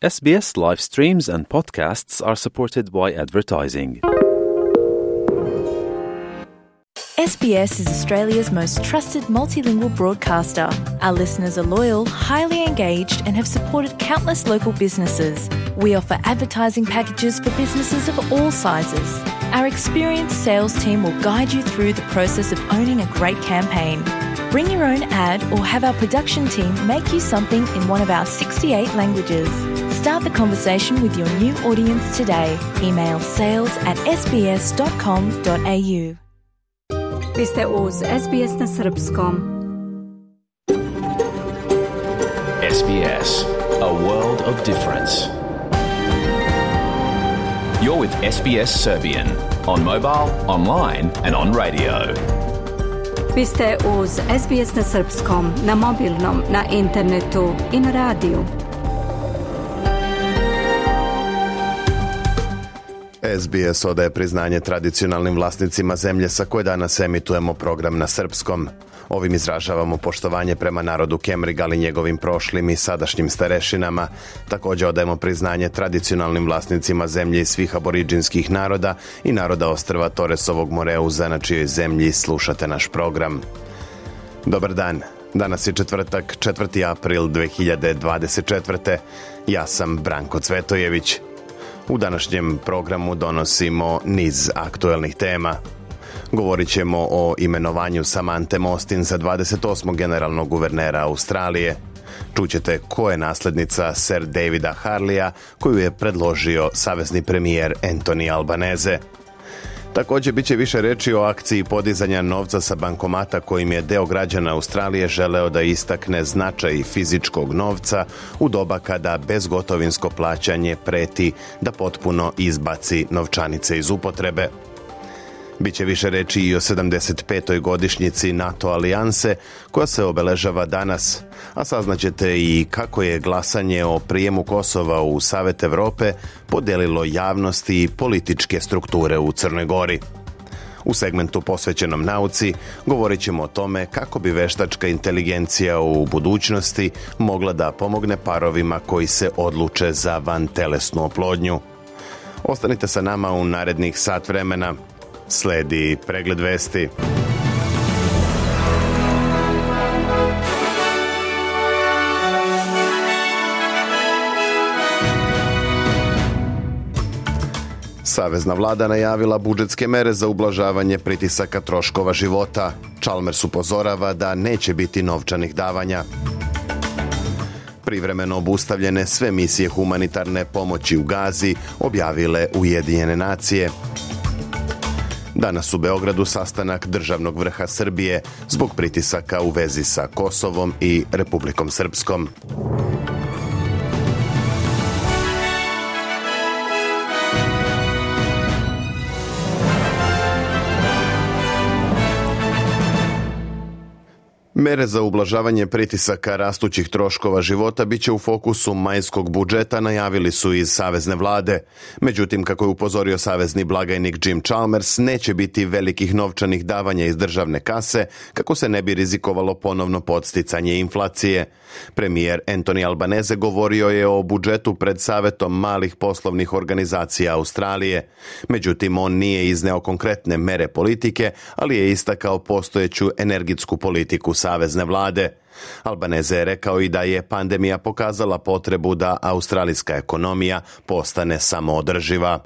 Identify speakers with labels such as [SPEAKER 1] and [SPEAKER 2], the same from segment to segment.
[SPEAKER 1] SBS live streams and podcasts are supported by advertising.
[SPEAKER 2] SBS is Australia's most trusted multilingual broadcaster. Our listeners are loyal, highly engaged, and have supported countless local businesses. We offer advertising packages for businesses of all sizes. Our experienced sales team will guide you through the process of owning a great campaign. Bring your own ad or have our production team make you something in one of our 68 languages. Start the conversation with your new audience today. Email sales@sbs.com.au.
[SPEAKER 3] Vi ste uz SBS na srpskom.
[SPEAKER 4] SBS, a world of difference. You're with SBS Serbian on mobile, online and on radio.
[SPEAKER 3] Vi ste uz SBS na srpskom, na mobilnom, na internetu i na radiju.
[SPEAKER 5] SBS odaje priznanje tradicionalnim vlasnicima zemlje sa koje danas emitujemo program na srpskom. Ovim izražavamo poštovanje prema narodu Kemrig, ali njegovim prošlim i sadašnjim starešinama. Također odajemo priznanje tradicionalnim vlasnicima zemlje i svih aboriđinskih naroda i naroda ostrva Toresovog Moreuza, na čijoj zemlji slušate naš program. Dobar dan. Danas je četvrtak, 4. april 2024. Ja sam Branko Cvetojević. U današnjem programu donosimo niz aktuelnih tema. Govorit ćemo o imenovanju Samanthe Mostyn za 28. generalnog guvernera Australije. Čućete ko je naslednica Sir Davida Harleya, koju je predložio savezni premijer Anthony Albanese. Također bit će više reči o akciji podizanja novca sa bankomata kojim je deo građana Australije želeo da istakne značaj fizičkog novca u doba kada bezgotovinsko plaćanje preti da potpuno izbaci novčanice iz upotrebe. Biće više reči i o 75. godišnjici NATO alijanse koja se obeležava danas, a saznaćete i kako je glasanje o prijemu Kosova u Savet Evrope podijelilo javnosti i političke strukture u Crnoj Gori. U segmentu posvećenom nauci govorit ćemo o tome kako bi veštačka inteligencija u budućnosti mogla da pomogne parovima koji se odluče za vantelesnu oplodnju. Ostanite sa nama u narednih sat vremena. Sledi pregled vesti. Savezna vlada najavila budžetske mere za ublažavanje pritisaka troškova života. Chalmers upozorava da neće biti novčanih davanja. Privremeno obustavljene sve misije humanitarne pomoći u Gazi, objavile Ujedinjene nacije. Danas u Beogradu sastanak državnog vrha Srbije zbog pritisaka u vezi sa Kosovom i Republikom Srpskom. Mere za ublažavanje pritisaka rastućih troškova života biće u fokusu majskog budžeta, najavili su iz savezne vlade. Međutim, kako je upozorio savezni blagajnik Jim Chalmers, neće biti velikih novčanih davanja iz državne kase kako se ne bi rizikovalo ponovno podsticanje inflacije. Premijer Anthony Albanese govorio je o budžetu pred Savetom malih poslovnih organizacija Australije. Međutim, on nije izneo konkretne mere politike, ali je istakao postojeću energetsku politiku savezne vlade. Albanese je rekao i da je pandemija pokazala potrebu da australijska ekonomija postane samoodrživa.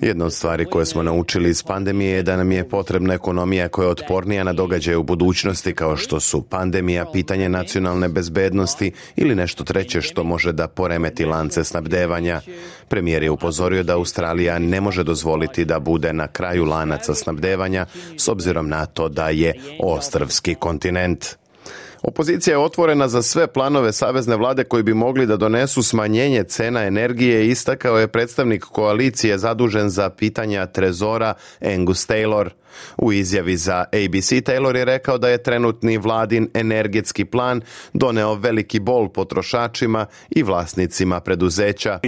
[SPEAKER 5] Jedna od stvari koje smo naučili iz pandemije je da nam je potrebna ekonomija koja je otpornija na događaje u budućnosti kao što su pandemija, pitanje nacionalne bezbednosti ili nešto treće što može da poremeti lance snabdevanja. Premijer je upozorio da Australija ne može dozvoliti da bude na kraju lanaca snabdevanja s obzirom na to da je ostrvski kontinent. Opozicija je otvorena za sve planove savezne vlade koji bi mogli da donesu smanjenje cena energije, istakao je predstavnik koalicije zadužen za pitanja trezora Angus Taylor. U izjavi za ABC Taylor je rekao da je trenutni vladin energetski plan doneo veliki bol potrošačima i vlasnicima preduzeća.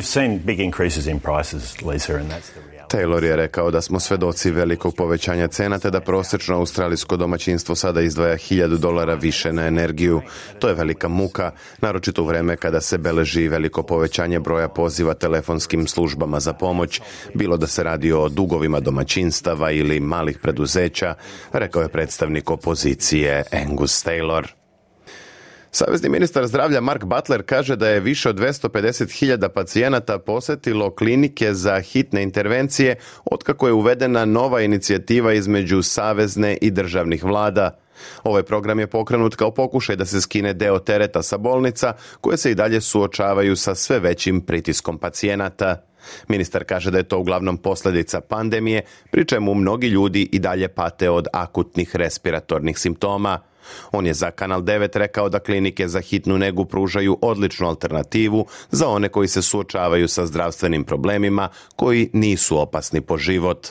[SPEAKER 5] Taylor je rekao da smo svedoci velikog povećanja cena te da prosječno australijsko domaćinstvo sada izdvaja $1,000 više na energiju. To je velika muka, naročito u vreme kada se beleži veliko povećanje broja poziva telefonskim službama za pomoć, bilo da se radi o dugovima domaćinstava ili malih preduzeća, rekao je predstavnik opozicije Angus Taylor. Savezni ministar zdravlja Mark Butler kaže da je više od 250.000 pacijenata posjetilo klinike za hitne intervencije otkako je uvedena nova inicijativa između savezne i državnih vlada. Ovaj program je pokrenut kao pokušaj da se skine deo tereta sa bolnica koje se i dalje suočavaju sa sve većim pritiskom pacijenata. Ministar kaže da je to uglavnom posljedica pandemije, pri čemu mnogi ljudi i dalje pate od akutnih respiratornih simptoma. On je za Kanal 9 rekao da klinike za hitnu negu pružaju odličnu alternativu za one koji se suočavaju sa zdravstvenim problemima koji nisu opasni po život.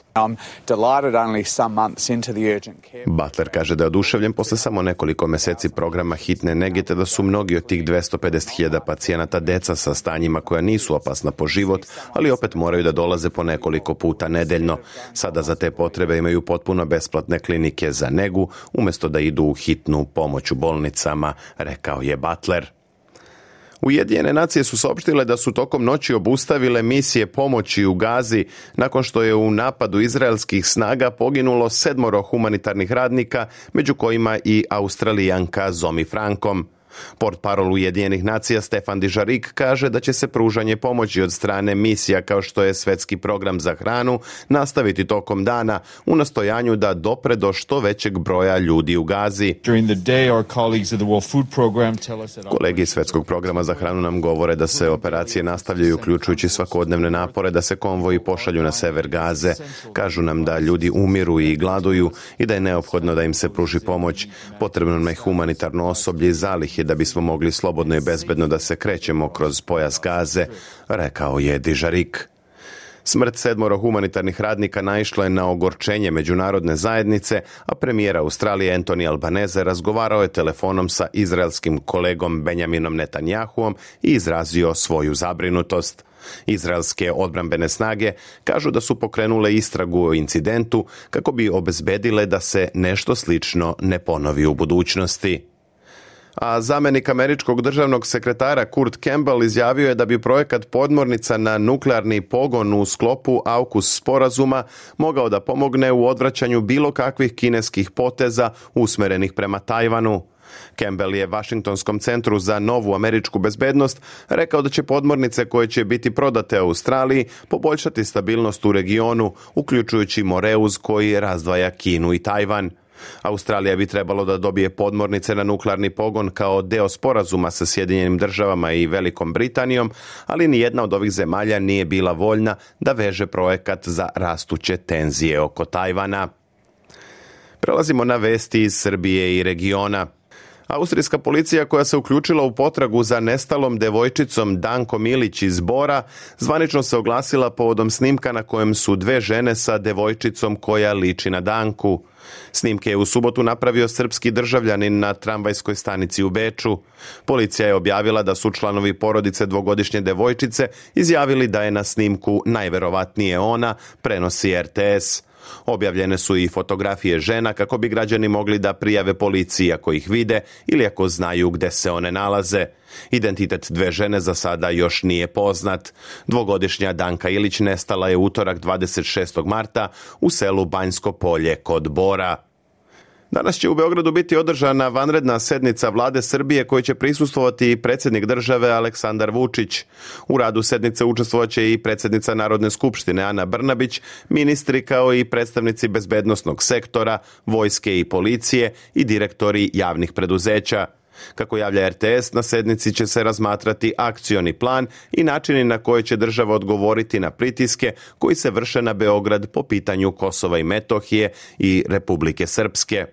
[SPEAKER 5] Butler kaže da je oduševljen posle samo nekoliko mjeseci programa hitne nege te da su mnogi od tih 250.000 pacijenata deca sa stanjima koja nisu opasna po život, ali opet moraju da dolaze po nekoliko puta nedeljno. Sada za te potrebe imaju potpuno besplatne klinike za negu umjesto da idu u hitnu pomoć u bolnicama, rekao je Butler. Ujedinjene nacije su saopštile da su tokom noći obustavile misije pomoći u Gazi nakon što je u napadu izraelskih snaga poginulo 7 humanitarnih radnika, među kojima i Australijanka Zomi Frankom. Portparol Ujedinjenih nacija Stefan Dujarric kaže da će se pružanje pomoći od strane misija kao što je Svjetski program za hranu nastaviti tokom dana u nastojanju da dopre do što većeg broja ljudi u Gazi. Kolegi iz Svjetskog programa za hranu nam govore da se operacije nastavljaju uključujući svakodnevne napore da se konvoji pošalju na sever Gaze. Kažu nam da ljudi umiru i gladuju i da je neophodno da im se pruži pomoć. Potrebno nam je humanitarno osoblje i zalihe da bismo mogli slobodno i bezbedno da se krećemo kroz pojas Gaze, rekao je Dujarric. Smrt 7 humanitarnih radnika naišla je na ogorčenje međunarodne zajednice, a premijer Australije Anthony Albanese razgovarao je telefonom sa izraelskim kolegom Benjaminom Netanjahuom i izrazio svoju zabrinutost. Izraelske odbrambene snage kažu da su pokrenule istragu o incidentu kako bi obezbedile da se nešto slično ne ponovi u budućnosti. A zamjenik američkog državnog sekretara Kurt Campbell izjavio je da bi projekat podmornica na nuklearni pogon u sklopu AUKUS sporazuma mogao da pomogne u odvraćanju bilo kakvih kineskih poteza usmerenih prema Tajvanu. Campbell je Washingtonskom centru za novu američku bezbednost rekao da će podmornice koje će biti prodate Australiji poboljšati stabilnost u regionu, uključujući Moreuz koji razdvaja Kinu i Tajvan. Australija bi trebalo da dobije podmornice na nuklearni pogon kao deo sporazuma sa Sjedinjenim državama i Velikom Britanijom, ali ni jedna od ovih zemalja nije bila voljna da veže projekat za rastuće tenzije oko Tajvana. Prelazimo na vesti iz Srbije i regiona. Austrijska policija koja se uključila u potragu za nestalom devojčicom Danko Milić iz Bora zvanično se oglasila povodom snimka na kojem su 2 žene sa devojčicom koja liči na Danku. Snimke je u subotu napravio srpski državljanin na tramvajskoj stanici u Beču. Policija je objavila da su članovi porodice 2-godišnje devojčice izjavili da je na snimku najverovatnije ona, prenosi RTS. Objavljene su i fotografije žena kako bi građani mogli da prijave policiji ako ih vide ili ako znaju gde se one nalaze. Identitet 2 žene za sada još nije poznat. 2-godišnja Danka Ilić nestala je utorak 26. marta u selu Banjsko polje kod Bora. Danas će u Beogradu biti održana vanredna sednica Vlade Srbije kojoj će prisustvovati i predsjednik države Aleksandar Vučić. U radu sednice učestvovaće i predsjednica Narodne skupštine Ana Brnabić, ministri kao i predstavnici bezbednosnog sektora, vojske i policije i direktori javnih preduzeća. Kako javlja RTS, na sednici će se razmatrati akcioni plan i načini na koje će država odgovoriti na pritiske koji se vrše na Beograd po pitanju Kosova i Metohije i Republike Srpske.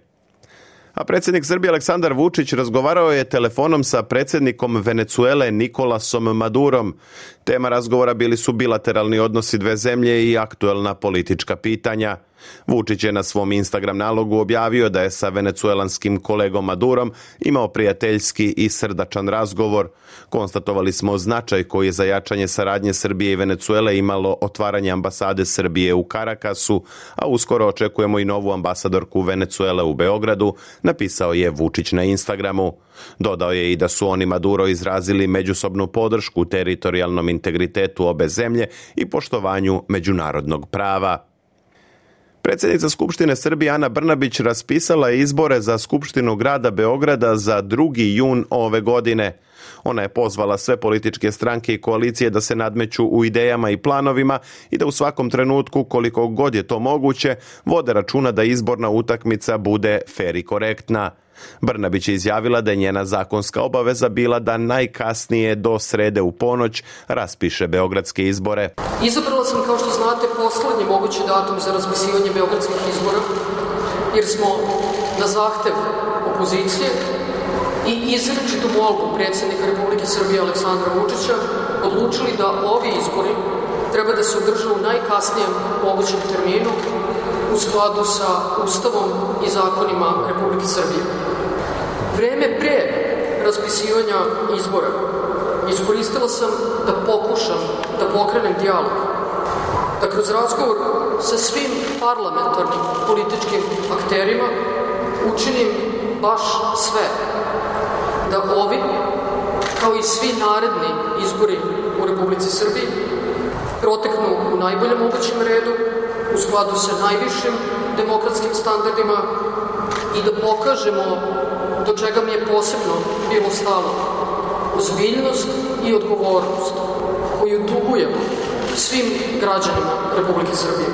[SPEAKER 5] A predsjednik Srbije Aleksandar Vučić razgovarao je telefonom sa predsjednikom Venecuele Nikolasom Madurom. Tema razgovora bili su bilateralni odnosi 2 zemlje i aktuelna politička pitanja. Vučić je na svom Instagram nalogu objavio da je sa venecuelanskim kolegom Madurom imao prijateljski i srdačan razgovor. Konstatovali smo značaj koji je za jačanje saradnje Srbije i Venecuele imalo otvaranje ambasade Srbije u Karakasu, a uskoro očekujemo i novu ambasadorku Venecuele u Beogradu, napisao je Vučić na Instagramu. Dodao je i da su on i Maduro izrazili međusobnu podršku teritorijalnom integritetu obe zemlje i poštovanju međunarodnog prava. Predsjednica Skupštine Srbije Ana Brnabić raspisala je izbore za Skupštinu grada Beograda za 2. jun ove godine. Ona je pozvala sve političke stranke i koalicije da se nadmeću u idejama i planovima i da u svakom trenutku, koliko god je to moguće, vode računa da izborna utakmica bude fer i korektna. Brnabić je izjavila da je njena zakonska obaveza bila da najkasnije do srede u ponoć raspiše beogradske izbore.
[SPEAKER 6] Izabrala sam, kao što znate, poslednji mogući datum za raspisivanje beogradskih izbora, jer smo na zahtev opozicije i izričitu molbu predsjednika Republike Srbije Aleksandra Vučića odlučili da ovi izbori treba da se održe u najkasnijem mogućem terminu u skladu sa Ustavom i zakonima Republike Srbije. Vreme pre raspisivanja izbora iskoristila sam da pokušam da pokrenem dijalog, da kroz razgovor sa svim parlamentarnim političkim akterima učinim baš sve, da ovi, kao i svi naredni izbori u Republici Srbiji, proteknu u najboljem mogućem redu, u skladu sa najvišim demokratskim standardima i da pokažemo do čega mi je posebno bilo stalo, ozbiljnost i odgovornost koju dugujemo svim građanima Republike Srbije.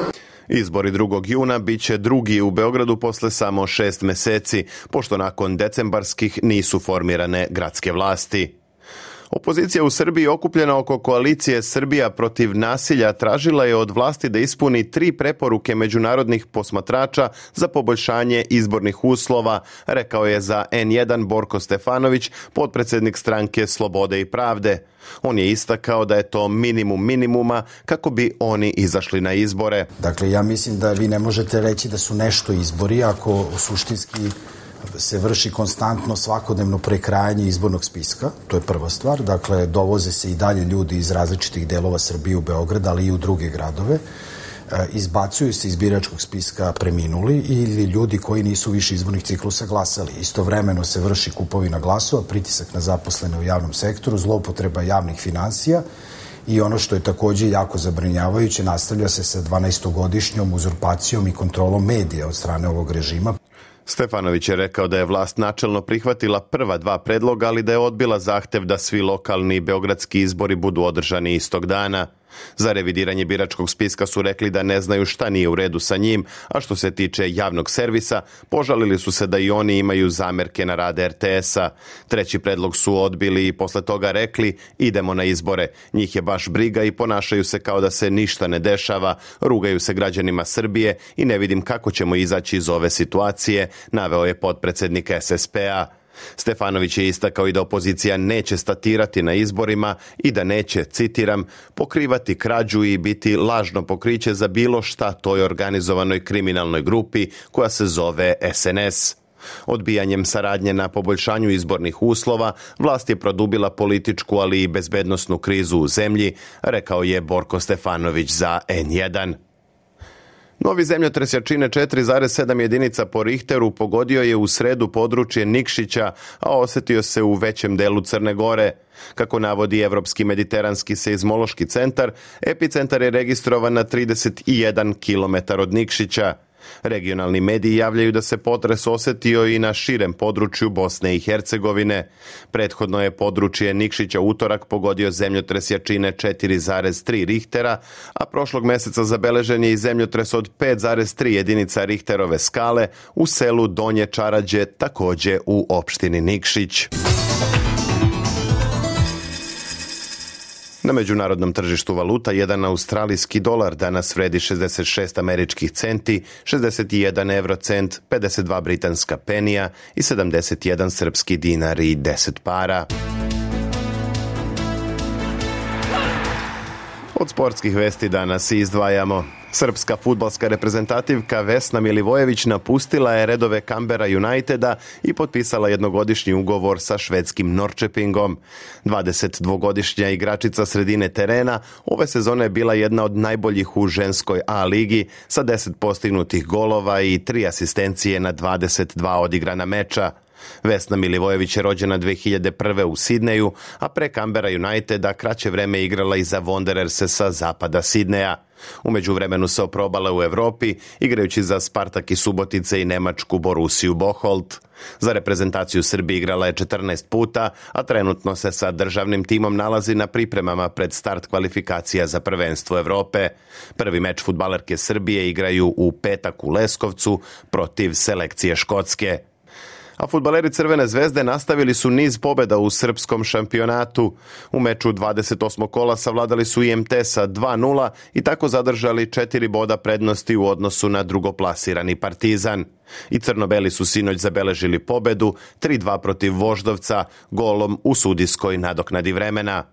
[SPEAKER 5] Izbori 2. juna bit će drugi u Beogradu posle samo 6 meseci, pošto nakon decembarskih nisu formirane gradske vlasti. Opozicija u Srbiji okupljena oko koalicije Srbija protiv nasilja tražila je od vlasti da ispuni 3 preporuke međunarodnih posmatrača za poboljšanje izbornih uslova, rekao je za N1 Borko Stefanović, potpredsjednik stranke Slobode i pravde. On je istakao da je to minimum minimuma kako bi oni izašli na izbore.
[SPEAKER 7] Dakle, ja mislim da vi ne možete reći da su nešto izbori ako suštinski se vrši konstantno svakodnevno prekrajanje izbornog spiska, to je prva stvar. Dakle, dovoze se i dalje ljudi iz različitih delova Srbije u Beograd, ali i u druge gradove. Izbacuju se iz biračkog spiska preminuli ili ljudi koji nisu više izbornih ciklusa glasali. Istovremeno se vrši kupovina glasova, pritisak na zaposlene u javnom sektoru, zloupotreba javnih finansija i ono što je takođe jako zabrinjavajuće, nastavlja se sa 12-godišnjom uzurpacijom i kontrolom medija od strane ovog režima.
[SPEAKER 5] Stefanović je rekao da je vlast načelno prihvatila prva 2 predloga, ali da je odbila zahtev da svi lokalni i beogradski izbori budu održani istog dana. Za revidiranje biračkog spiska su rekli da ne znaju šta nije u redu sa njim, a što se tiče javnog servisa, požalili su se da i oni imaju zamerke na rad RTS-a. 3. predlog su odbili i posle toga rekli idemo na izbore. Njih je baš briga i ponašaju se kao da se ništa ne dešava, rugaju se građanima Srbije i ne vidim kako ćemo izaći iz ove situacije, naveo je potpredsjednik SSP-a. Stefanović je istakao i da opozicija neće statirati na izborima i da neće, citiram, pokrivati krađu i biti lažno pokriće za bilo šta toj organizovanoj kriminalnoj grupi koja se zove SNS. Odbijanjem saradnje na poboljšanju izbornih uslova, vlast je produbila političku, ali i bezbednosnu krizu u zemlji, rekao je Borko Stefanović za N1. Novi zemljotres jačine 4,7 jedinica po Richteru pogodio je u sredu područje Nikšića, a osetio se u većem delu Crne Gore. Kako navodi Evropski mediteranski seizmološki centar, epicentar je registrovan na 31 km od Nikšića. Regionalni mediji javljaju da se potres osetio i na širem području Bosne i Hercegovine. Prethodno je područje Nikšića utorak pogodio zemljotres jačine 4,3 Richtera, a prošlog meseca zabeležen je i zemljotres od 5,3 jedinica Richterove skale u selu Donje Čarađe, takođe u opštini Nikšić. Na međunarodnom tržištu valuta jedan australijski dolar danas vredi 66 američkih centi, 61 eurocent, 52 britanska penija i 71 srpski dinar i 10 para. Od sportskih vesti danas izdvajamo. Srpska fudbalska reprezentativka Vesna Milivojević napustila je redove Canberra Uniteda i potpisala jednogodišnji ugovor sa švedskim Norrköpingom. 22-godišnja igračica sredine terena ove sezone je bila jedna od najboljih u ženskoj A ligi sa 10 postignutih golova i 3 asistencije na 22 odigrana meča. Vesna Milivojević je rođena 2001. u Sidneju, a pre Canberra Uniteda kraće vreme igrala i za Wandererse sa zapada Sidneja. U međuvremenu se oprobala u Evropi, igrajući za Spartak iz Subotice i nemačku Borussiju Bocholt. Za reprezentaciju Srbije igrala je 14 puta, a trenutno se sa državnim timom nalazi na pripremama pred start kvalifikacija za prvenstvo Evrope. Prvi meč fudbalerke Srbije igraju u petak u Leskovcu protiv selekcije Škotske. A fudbaleri Crvene zvezde nastavili su niz pobjeda u srpskom šampionatu. U meču 28. kola savladali su IMT sa 2:0 i tako zadržali 4 boda prednosti u odnosu na drugoplasirani Partizan. I crno-beli su sinoć zabeležili pobjedu 3:2 protiv Voždovca golom u sudijskoj nadoknadi vremena.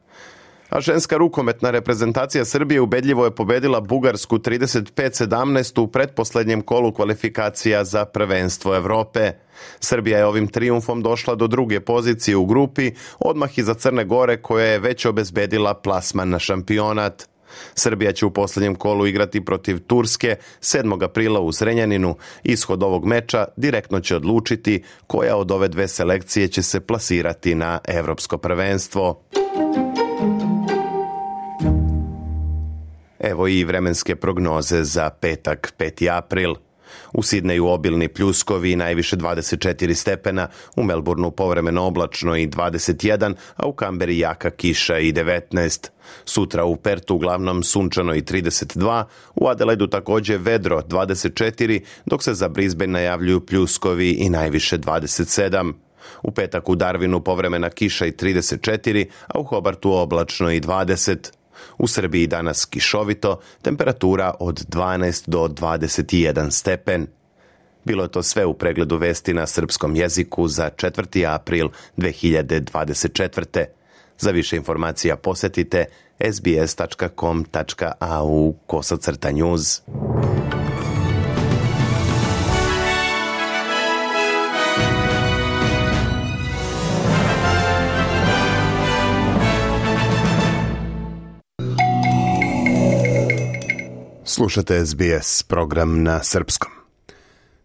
[SPEAKER 5] A ženska rukometna reprezentacija Srbije ubedljivo je pobedila Bugarsku 35-17 u pretposlednjem kolu kvalifikacija za prvenstvo Evrope. Srbija je ovim trijumfom došla do druge pozicije u grupi, odmah iza Crne Gore koja je već obezbedila plasman na šampionat. Srbija će u posljednjem kolu igrati protiv Turske 7. aprila u Zrenjaninu. Ishod ovog meča direktno će odlučiti koja od ove dve selekcije će se plasirati na evropsko prvenstvo. Evo i vremenske prognoze za petak, 5. april. U Sidneju obilni pljuskovi, najviše 24 stepena, u Melbourneu povremeno oblačno i 21, a u Kamberi jaka kiša i 19. Sutra u Pertu uglavnom sunčano i 32, u Adelaidu također vedro 24, dok se za Brisbane najavljuju pljuskovi i najviše 27. U petak u Darwinu povremena kiša i 34, a u Hobartu oblačno i 20. U Srbiji danas kišovito, temperatura od 12 do 21 stepen. Bilo je to sve u pregledu vesti na srpskom jeziku za 4. april 2024. Za više informacija posjetite sbs.com.au/news. Slušate SBS, program na srpskom.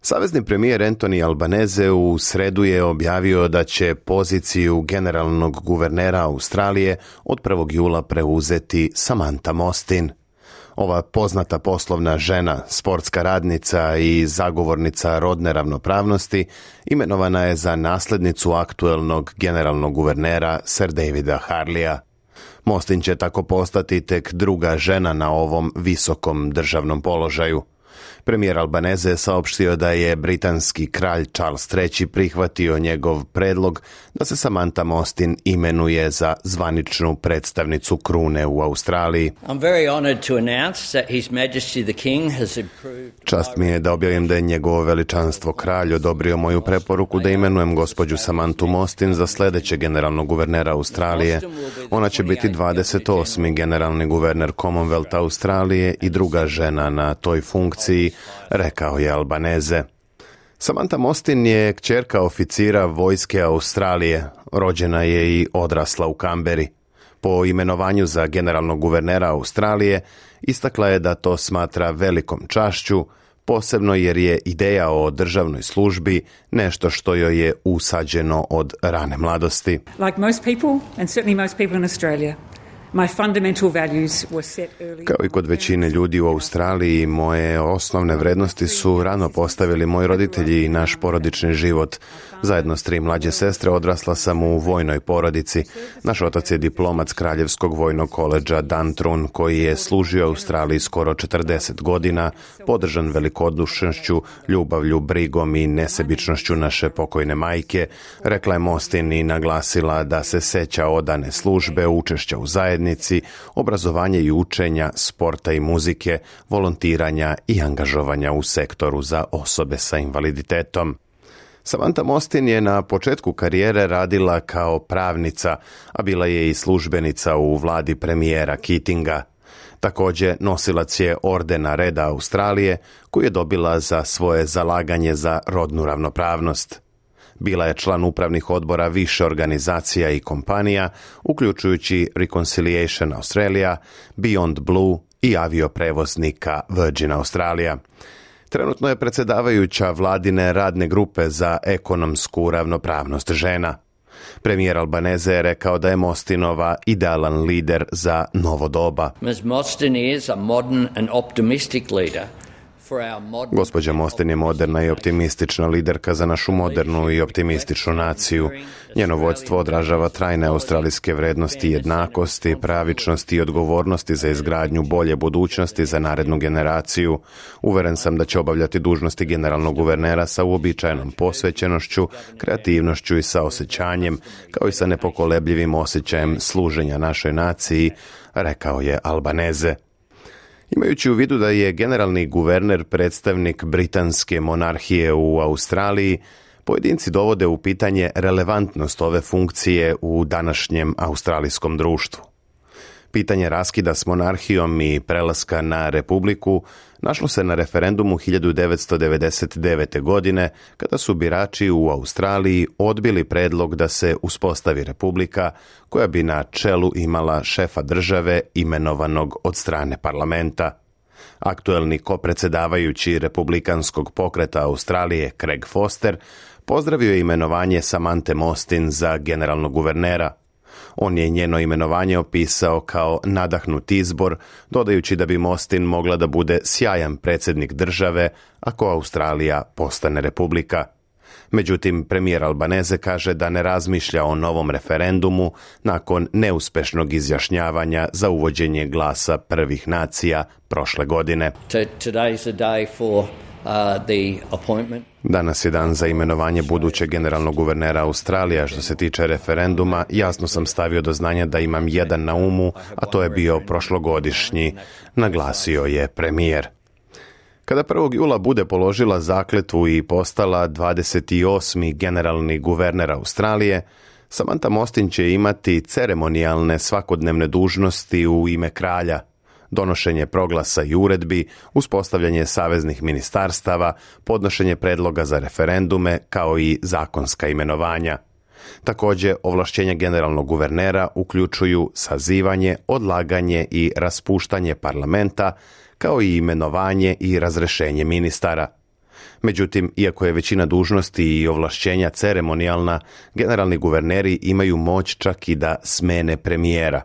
[SPEAKER 5] Savezni premijer Anthony Albanese u sredu je objavio da će poziciju generalnog guvernera Australije od 1. jula preuzeti Samantha Mostyn. Ova poznata poslovna žena, sportska radnica i zagovornica rodne ravnopravnosti imenovana je za naslednicu aktuelnog generalnog guvernera Sir Davida Harleya. Mostyn će tako postati tek druga žena na ovom visokom državnom položaju. Premijer Albanese je saopštio da je britanski kralj Charles III prihvatio njegov predlog da se Samantha Mostyn imenuje za zvaničnu predstavnicu krune u Australiji. Čast mi je da objavim da je njegovo veličanstvo kralj odobrio moju preporuku da imenujem gospođu Samanthu Mostyn za sljedećeg generalnog guvernera Australije. Ona će biti 28. generalni guverner Commonwealtha Australije i druga žena na toj funkciji, rekao je Albanese. Samantha Mostyn je kćerka oficira vojske Australije, rođena je i odrasla u Kamberi. Po imenovanju za generalnog guvernera Australije istakla je da to smatra velikom čašću, posebno jer je ideja o državnoj službi nešto što joj je usađeno od rane mladosti.
[SPEAKER 8] Like most people, and certainly most people in Australia, my fundamental values were set early.
[SPEAKER 5] Kao i kod većine ljudi u Australiji, moje osnovne vrednosti su rano postavili moji roditelji i naš porodični život. Zajedno s 3 mlađe sestre odrasla sam u vojnoj porodici. Naš otac je diplomat s Kraljevskog vojnog koledža Duntroon, koji je služio Australiji skoro 40 godina, podržan velikodušnošću, ljubavlju, brigom i nesebičnošću naše pokojne majke, rekla je Mostyn i naglasila da se seća odane službe, učešća u zajednici, obrazovanja i učenja, sporta i muzike, volontiranja i angažovanja u sektoru za osobe sa invaliditetom. Samantha Mostyn je na početku karijere radila kao pravnica, a bila je i službenica u vladi premijera Keatinga. Također nosilac je ordena Reda Australije koju je dobila za svoje zalaganje za rodnu ravnopravnost. Bila je član upravnih odbora više organizacija i kompanija, uključujući Reconciliation Australia, Beyond Blue i avioprevoznika Virgin Australia. Trenutno je predsjedavajuća vladine radne grupe za ekonomsku ravnopravnost žena. Premijer Albanese je rekao da je Mostinova idealan lider za novo doba.
[SPEAKER 9] Ms. Mostyn is a modern and optimistic leader.
[SPEAKER 5] Gospođa Mostyn je moderna i optimistična liderka za našu modernu i optimističnu naciju. Njeno vodstvo odražava trajne australijske vrednosti jednakosti, pravičnosti i odgovornosti za izgradnju bolje budućnosti za narednu generaciju. Uveren sam da će obavljati dužnosti generalnog guvernera sa uobičajenom posvećenošću, kreativnošću i saosjećanjem, kao i sa nepokolebljivim osjećajem služenja našoj naciji, rekao je Albanese. Imajući u vidu da je generalni guverner predstavnik britanske monarhije u Australiji, pojedinci dovode u pitanje relevantnost ove funkcije u današnjem australijskom društvu. Pitanje raskida s monarhijom i prelaska na republiku našlo se na referendumu 1999. godine, kada su birači u Australiji odbili predlog da se uspostavi republika koja bi na čelu imala šefa države imenovanog od strane parlamenta. Aktuelni kopredsjedavajući republikanskog pokreta Australije Craig Foster pozdravio je imenovanje Samanthe Mostyn za generalnog guvernera. On je njeno imenovanje opisao kao nadahnut izbor, dodajući da bi Mostyn mogla da bude sjajan predsjednik države ako Australija postane republika. Međutim, premijer Albanese kaže da ne razmišlja o novom referendumu nakon neuspešnog izjašnjavanja za uvođenje glasa prvih nacija prošle godine. Danas je dan za imenovanje budućeg generalnog guvernera Australije. Što se tiče referenduma, jasno sam stavio do znanja da imam jedan na umu, a to je bio prošlogodišnji, naglasio je premijer. Kada 1. jula bude položila zakletvu i postala 28. generalni guverner Australije, Samantha Mostyn će imati ceremonijalne svakodnevne dužnosti u ime kralja, donošenje proglasa i uredbi, uspostavljanje saveznih ministarstava, podnošenje predloga za referendume, kao i zakonska imenovanja. Također, ovlašćenja generalnog guvernera uključuju sazivanje, odlaganje i raspuštanje parlamenta, kao i imenovanje i razrešenje ministara. Međutim, iako je većina dužnosti i ovlašćenja ceremonijalna, generalni guverneri imaju moć čak i da smene premijera.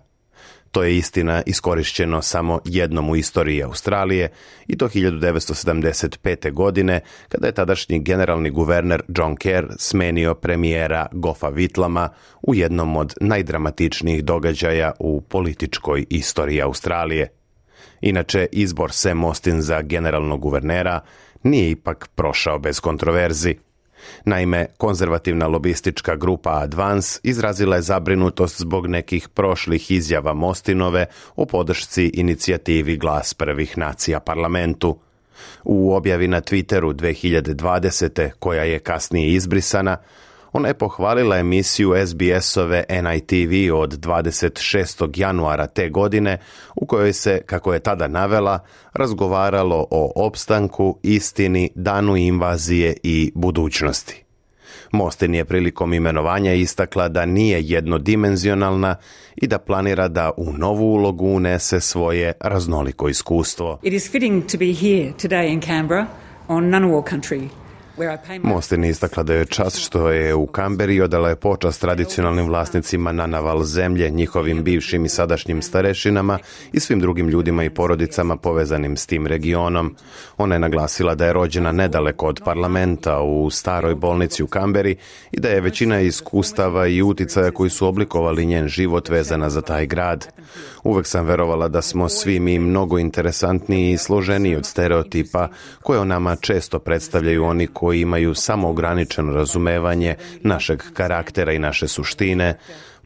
[SPEAKER 5] To je istina iskorišćeno samo jednom u istoriji Australije, i to 1975. godine, kada je tadašnji generalni guverner John Kerr smenio premijera Goffa Whitlama u jednom od najdramatičnijih događaja u političkoj istoriji Australije. Inače, izbor Sam Mostyn za generalnog guvernera nije ipak prošao bez kontroverzi. Naime, konzervativna lobistička grupa Advance izrazila je zabrinutost zbog nekih prošlih izjava Mostynove o podršci inicijativi Glas prvih nacija parlamentu. U objavi na Twitteru 2020. koja je kasnije izbrisana, ona je pohvalila emisiju SBS-ove NITV od 26. januara te godine, u kojoj se, kako je tada navela, razgovaralo o opstanku, istini, danu invazije i budućnosti. Mostyn je prilikom imenovanja istakla da nije jednodimenzionalna i da planira da u novu ulogu unese svoje raznoliko iskustvo.
[SPEAKER 8] It is fitting to be here today in Canberra on Ngunnawal country.
[SPEAKER 5] Mostyn je istakla da je čast što je u Kamberi odala je počast tradicionalnim vlasnicima Ngunnawal zemlje, njihovim bivšim i sadašnjim starešinama i svim drugim ljudima i porodicama povezanim s tim regionom. Ona je naglasila da je rođena nedaleko od parlamenta u staroj bolnici u Kamberi i da je većina iskustava i uticaja koji su oblikovali njen život vezana za taj grad. Uvek sam verovala da smo svi mi mnogo interesantniji i složeniji od stereotipa koje o nama često predstavljaju oni koji imaju samo ograničeno razumevanje našeg karaktera i naše suštine,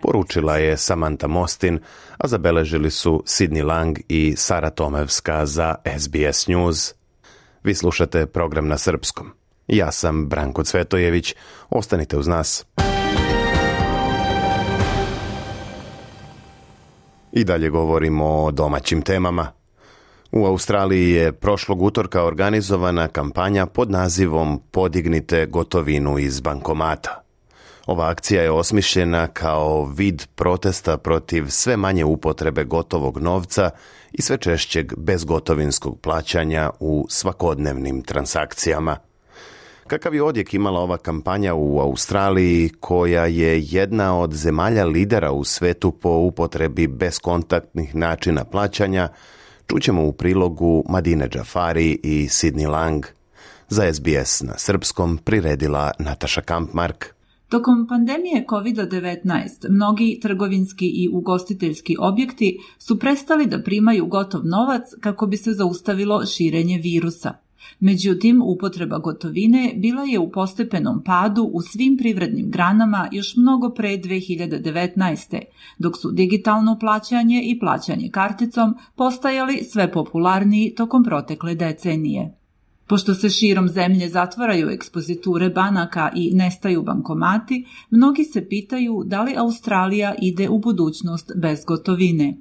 [SPEAKER 5] poručila je Samantha Mostyn, a zabeležili su Sidney Lang i Sara Tomevska za SBS News. Vi slušate program na srpskom. Ja sam Branko Cvetojević. Ostanite uz nas. I dalje govorimo o domaćim temama. U Australiji je prošlog utorka organizovana kampanja pod nazivom Podignite gotovinu iz bankomata. Ova akcija je osmišljena kao vid protesta protiv sve manje upotrebe gotovog novca i sve češćeg bezgotovinskog plaćanja u svakodnevnim transakcijama. Kakav je odjek imala ova kampanja u Australiji, koja je jedna od zemalja lidera u svetu po upotrebi bezkontaktnih načina plaćanja, čućemo u prilogu Madine Džafari i Sidney Lang. Za SBS na srpskom priredila Nataša Kampmark.
[SPEAKER 10] Tokom pandemije COVID-19 mnogi trgovinski i ugostiteljski objekti su prestali da primaju gotov novac kako bi se zaustavilo širenje virusa. Međutim, upotreba gotovine bila je u postepenom padu u svim privrednim granama još mnogo pre 2019. dok su digitalno plaćanje i plaćanje karticom postajali sve popularniji tokom protekle decenije. Pošto se širom zemlje zatvaraju ekspoziture banaka i nestaju bankomati, mnogi se pitaju da li Australija ide u budućnost bez gotovine.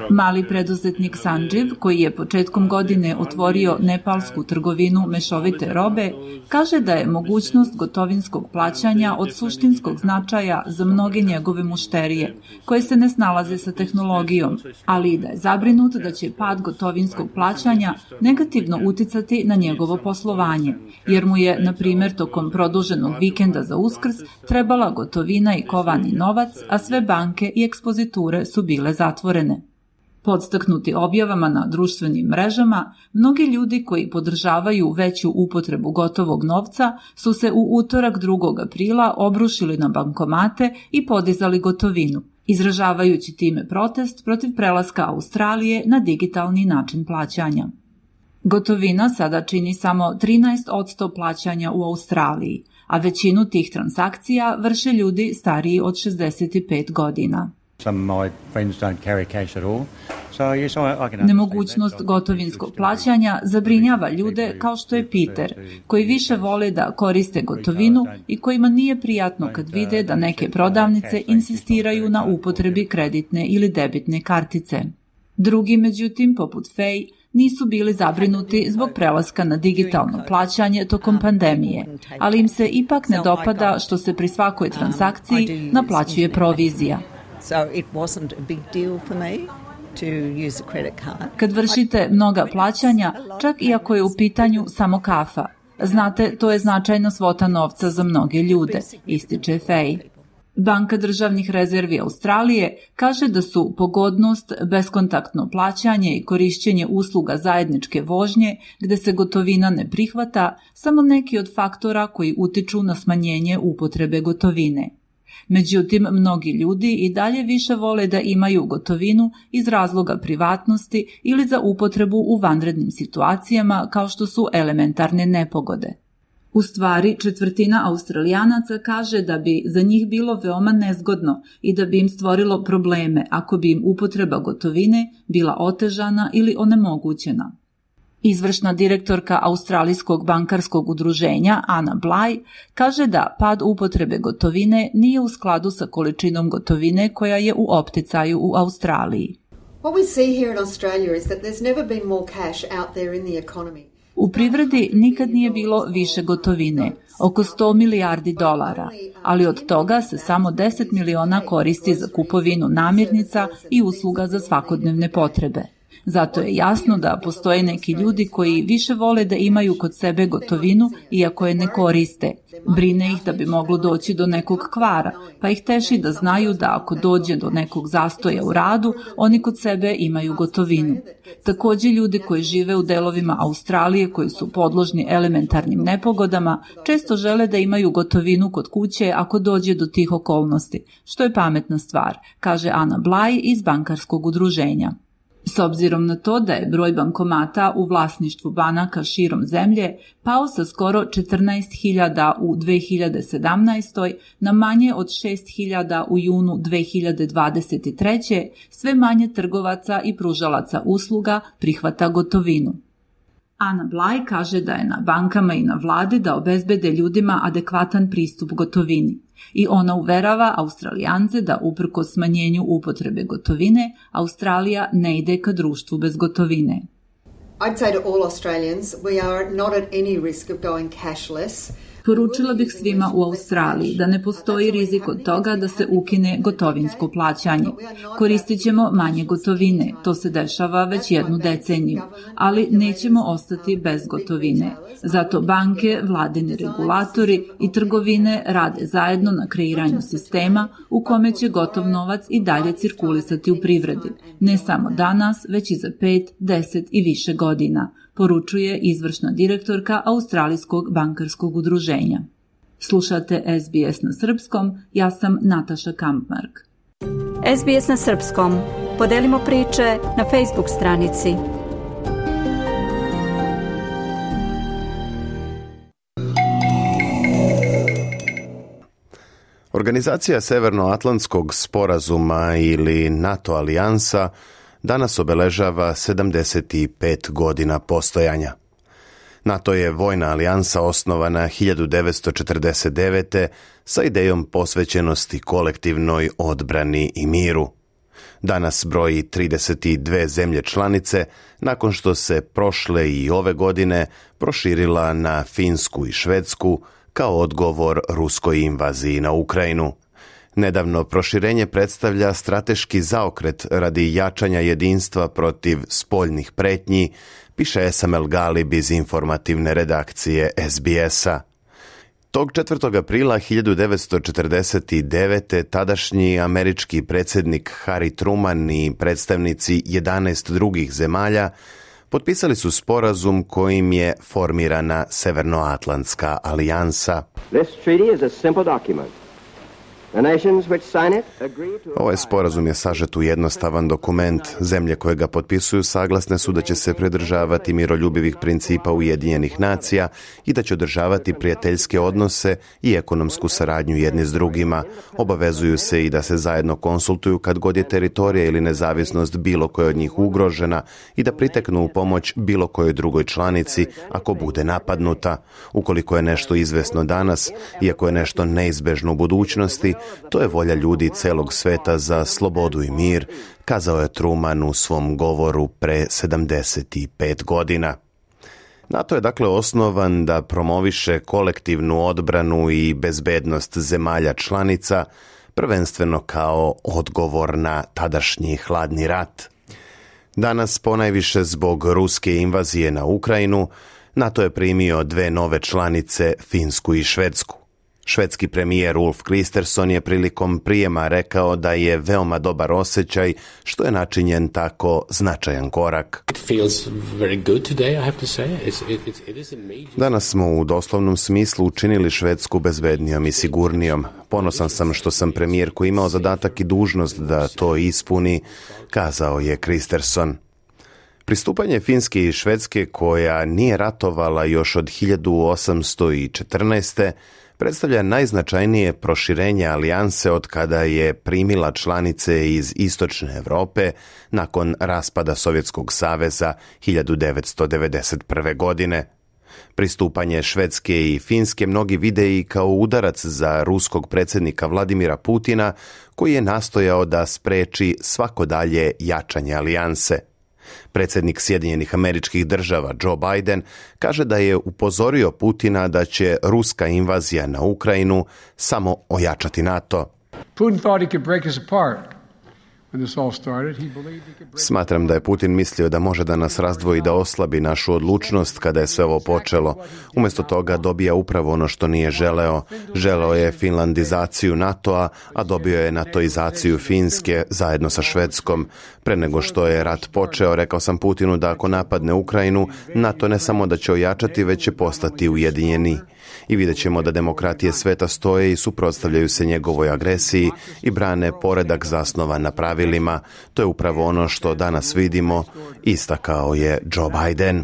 [SPEAKER 10] Mali preduzetnik Sanjiv, koji je početkom godine otvorio nepalsku trgovinu mešovite robe, kaže da je mogućnost gotovinskog plaćanja od suštinskog značaja za mnoge njegove mušterije, koje se ne snalaze sa tehnologijom, ali i da je zabrinut da će pad gotovinskog plaćanja negativno uticati na njegovo poslovanje, jer mu je, na primjer, tokom produženog vikenda za Uskrs trebala gotovina i kovani novac, a sve banke i ekspoziture su bile zatvorene. Podstaknuti objavama na društvenim mrežama, mnogi ljudi koji podržavaju veću upotrebu gotovog novca su se u utorak 2. aprila obrušili na bankomate i podizali gotovinu, izražavajući time protest protiv prelaska Australije na digitalni način plaćanja. Gotovina sada čini samo 13% plaćanja u Australiji, a većinu tih transakcija vrše ljudi stariji od 65 godina. Nemogućnost gotovinskog plaćanja zabrinjava ljude kao što je Peter, koji više vole da koriste gotovinu i kojima nije prijatno kad vide da neke prodavnice insistiraju na upotrebi kreditne ili debitne kartice. Drugi, međutim, poput Faye, nisu bili zabrinuti zbog prelaska na digitalno plaćanje tokom pandemije, ali im se ipak ne dopada što se pri svakoj transakciji naplaćuje provizija. Kad vršite mnoga plaćanja, čak i ako je u pitanju samo kafa, znate, to je značajna svota novca za mnoge ljude, ističe Faye. Banka državnih rezervi Australije kaže da su pogodnost, beskontaktno plaćanje i korišćenje usluga zajedničke vožnje, gde se gotovina ne prihvata, samo neki od faktora koji utiču na smanjenje upotrebe gotovine. Međutim, mnogi ljudi i dalje više vole da imaju gotovinu iz razloga privatnosti ili za upotrebu u vanrednim situacijama kao što su elementarne nepogode. U stvari, 1/4 Australijanaca kaže da bi za njih bilo veoma nezgodno i da bi im stvorilo probleme ako bi im upotreba gotovine bila otežana ili onemogućena. Izvršna direktorka Australijskog bankarskog udruženja Anna Bly kaže da pad upotrebe gotovine nije u skladu sa količinom gotovine koja je u opticaju u Australiji. U privredi nikad nije bilo više gotovine, oko $100 milijardi, ali od toga se samo 10 miliona koristi za kupovinu namirnica i usluga za svakodnevne potrebe. Zato je jasno da postoje neki ljudi koji više vole da imaju kod sebe gotovinu iako je ne koriste. Brine ih da bi moglo doći do nekog kvara, pa ih teši da znaju da ako dođe do nekog zastoja u radu, oni kod sebe imaju gotovinu. Također ljudi koji žive u delovima Australije koji su podložni elementarnim nepogodama često žele da imaju gotovinu kod kuće ako dođe do tih okolnosti, što je pametna stvar, kaže Anna Bly iz bankarskog udruženja. S obzirom na to da je broj bankomata u vlasništvu banaka širom zemlje pao sa skoro 14.000 u 2017. na manje od 6.000 u junu 2023. sve manje trgovaca i pružalaca usluga prihvata gotovinu. Anna Bly kaže da je na bankama i na vladi da obezbede ljudima adekvatan pristup gotovini, I ona uverava Australijance da uprkos smanjenju upotrebe gotovine, Australija ne ide ka društvu bez gotovine.
[SPEAKER 11] I'd say to all Australians, we are not at any risk of going cashless.
[SPEAKER 10] Poručila bih svima u Australiji da ne postoji rizik od toga da se ukine gotovinsko plaćanje. Koristit ćemo manje gotovine, to se dešava već 1 deceniju, ali nećemo ostati bez gotovine. Zato banke, vladini regulatori i trgovine rade zajedno na kreiranju sistema u kome će gotov novac i dalje cirkulisati u privredi. Ne samo danas, već i za 5, 10 i više godina, poručuje izvršna direktorka Australijskog bankarskog udruženja. Slušate SBS na srpskom, ja sam Nataša Kampmark.
[SPEAKER 3] SBS na srpskom. Podelimo priče na Facebook stranici.
[SPEAKER 5] Organizacija Severnoatlantskog sporazuma ili NATO alijansa danas obeležava 75 godina postojanja. NATO je vojna alijansa osnovana 1949. sa idejom posvećenosti kolektivnoj odbrani i miru. Danas broji 32 zemlje članice, nakon što se prošle i ove godine proširila na Finsku i Švedsku kao odgovor ruskoj invaziji na Ukrajinu. Nedavno proširenje predstavlja strateški zaokret radi jačanja jedinstva protiv spoljnih pretnji, piše Esamel Galib iz informativne redakcije SBS-a. Tog 4. aprila 1949. tadašnji američki predsjednik Harry Truman i predstavnici 11 drugih zemalja potpisali su sporazum kojim je formirana Severnoatlantska alijansa.
[SPEAKER 12] This treaty is a simple document.
[SPEAKER 5] Ovaj sporazum je sažet u jednostavan dokument. Zemlje koje ga potpisuju saglasne su da će se pridržavati miroljubivih principa Ujedinjenih nacija i da će održavati prijateljske odnose i ekonomsku saradnju jedni s drugima. Obavezuju se i da se zajedno konsultuju kad god je teritorija ili nezavisnost bilo koje od njih ugrožena i da priteknu u pomoć bilo kojoj drugoj članici ako bude napadnuta. Ukoliko je nešto izvesno danas, iako je nešto neizbežno u budućnosti, to je volja ljudi celog sveta za slobodu i mir, kazao je Truman u svom govoru pre 75 godina. NATO je dakle osnovan da promoviše kolektivnu odbranu i bezbednost zemalja članica, prvenstveno kao odgovor na tadašnji hladni rat. Danas, ponajviše zbog ruske invazije na Ukrajinu, NATO je primio 2 nove članice, Finsku i Švedsku. Švedski premijer Ulf Kristersson je prilikom prijema rekao da je veoma dobar osjećaj što je načinjen tako značajan korak. Danas smo u doslovnom smislu učinili Švedsku bezbednijom i sigurnijom. Ponosan sam što sam premijer koji imao zadatak i dužnost da to ispuni, kazao je Kristersson. Pristupanje Finske i Švedske, koja nije ratovala još od 1814. predstavlja najznačajnije proširenje alijanse od kada je primila članice iz Istočne Evrope nakon raspada Sovjetskog saveza 1991. godine. Pristupanje Švedske i Finske mnogi vide i kao udarac za ruskog predsjednika Vladimira Putina, koji je nastojao da spreči svako dalje jačanje alijanse. Predsjednik Sjedinjenih Američkih Država Joe Biden kaže da je upozorio Putina da će ruska invazija na Ukrajinu samo ojačati NATO.
[SPEAKER 13] Putin thought he could break us apart.
[SPEAKER 5] Smatram da je Putin mislio da može da nas razdvoji, da oslabi našu odlučnost kada je sve ovo počelo. Umjesto toga dobija upravo ono što nije želeo. Želeo je finlandizaciju NATO-a, a dobio je natoizaciju Finske zajedno sa Švedskom. Pre nego što je rat počeo, rekao sam Putinu da ako napadne Ukrajinu, NATO ne samo da će ojačati, već će postati ujedinjeni. I vidjet ćemo da demokratije sveta stoje i suprotstavljaju se njegovoj agresiji i brane poredak zasnovan na pravilima. To je upravo ono što danas vidimo, istakao je Joe Biden.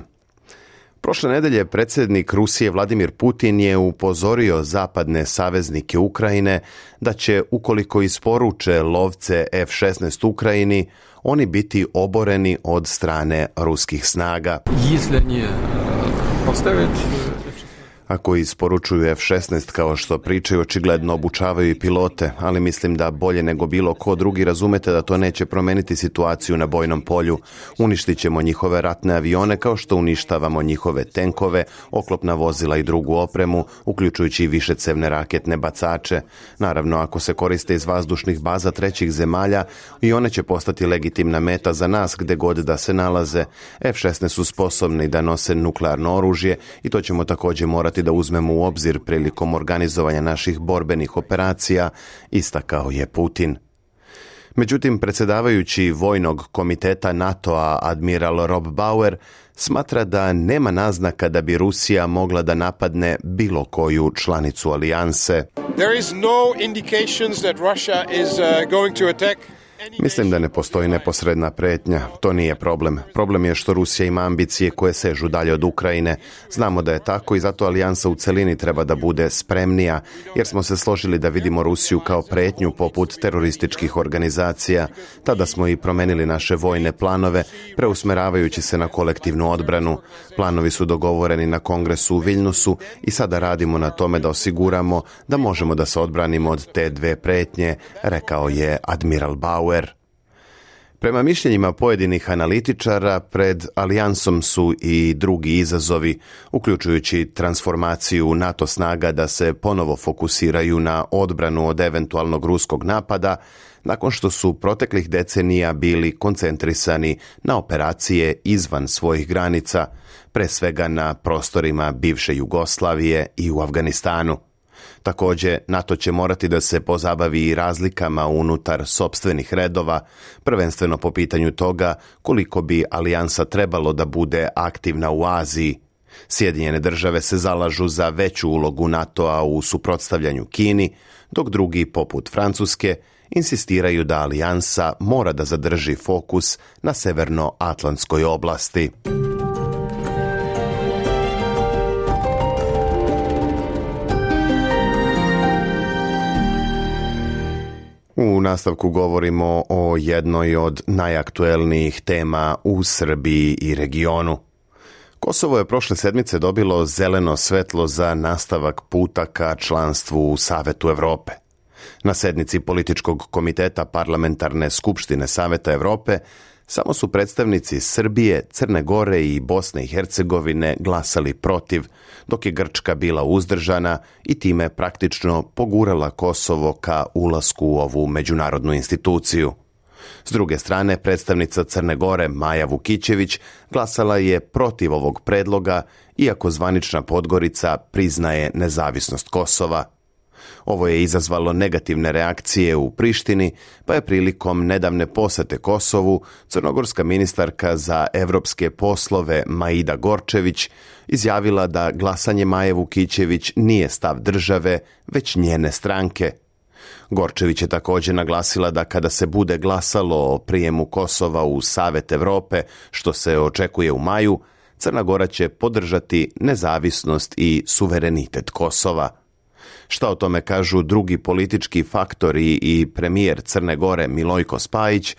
[SPEAKER 5] Prošle nedelje predsjednik Rusije Vladimir Putin je upozorio zapadne saveznike Ukrajine da će, ukoliko isporuče lovce F-16 Ukrajini, oni biti oboreni od strane ruskih snaga. Ako isporučuju F-16 kao što pričaju, očigledno obučavaju i pilote, ali mislim da bolje nego bilo ko drugi razumete da to neće promeniti situaciju na bojnom polju. Uništit ćemo njihove ratne avione kao što uništavamo njihove tenkove, oklopna vozila i drugu opremu, uključujući i višecevne raketne bacače. Naravno, ako se koriste iz vazdušnih baza trećih zemalja, i one će postati legitimna meta za nas gde god da se nalaze. F-16 su sposobni da nose nuklearno oružje i to ćemo također morati da uzmemo u obzir prilikom organizovanja naših borbenih operacija, istakao je Putin. Međutim, predsjedavajući Vojnog komiteta NATO-a admiral Rob Bauer smatra da nema naznaka da bi Rusija mogla da napadne bilo koju članicu alijanse.
[SPEAKER 14] There is no indications that Russia is going to attack.
[SPEAKER 5] Mislim da ne postoji neposredna pretnja. To nije problem. Problem je što Rusija ima ambicije koje sežu dalje od Ukrajine. Znamo da je tako i zato alijansa u celini treba da bude spremnija, jer smo se složili da vidimo Rusiju kao pretnju poput terorističkih organizacija. Tada smo i promenili naše vojne planove, preusmeravajući se na kolektivnu odbranu. Planovi su dogovoreni na kongresu u Viljnusu i sada radimo na tome da osiguramo da možemo da se odbranimo od te dve pretnje, rekao je admiral Bauer. Prema mišljenjima pojedinih analitičara, pred alijansom su i drugi izazovi, uključujući transformaciju NATO snaga da se ponovo fokusiraju na odbranu od eventualnog ruskog napada, nakon što su proteklih decenija bili koncentrisani na operacije izvan svojih granica, pre svega na prostorima bivše Jugoslavije i u Afganistanu. Također, NATO će morati da se pozabavi i razlikama unutar sopstvenih redova, prvenstveno po pitanju toga koliko bi alijansa trebalo da bude aktivna u Aziji. Sjedinjene države se zalažu za veću ulogu NATO-a u suprotstavljanju Kini, dok drugi, poput Francuske, insistiraju da alijansa mora da zadrži fokus na severnoatlantskoj oblasti. U nastavku govorimo o jednoj od najaktuelnijih tema u Srbiji i regionu. Kosovo je prošle sedmice dobilo zeleno svetlo za nastavak puta ka članstvu u Savetu Evrope. Na sednici političkog komiteta Parlamentarne skupštine Saveta Evrope samo su predstavnici Srbije, Crne Gore i Bosne i Hercegovine glasali protiv, dok je Grčka bila uzdržana i time praktično pogurala Kosovo ka ulasku u ovu međunarodnu instituciju. S druge strane, predstavnica Crne Gore Maja Vukićević glasala je protiv ovog predloga, iako zvanična Podgorica priznaje nezavisnost Kosova. Ovo je izazvalo negativne reakcije u Prištini, pa je prilikom nedavne posete Kosovu crnogorska ministarka za evropske poslove Maida Gorčević izjavila da glasanje Maje Vukićević nije stav države, već njene stranke. Gorčević je također naglasila da kada se bude glasalo o prijemu Kosova u Savet Evrope, što se očekuje u maju, Crna Gora će podržati nezavisnost i suverenitet Kosova. Šta o tome kažu drugi politički faktori i premijer Crne Gore Milojko Spajić,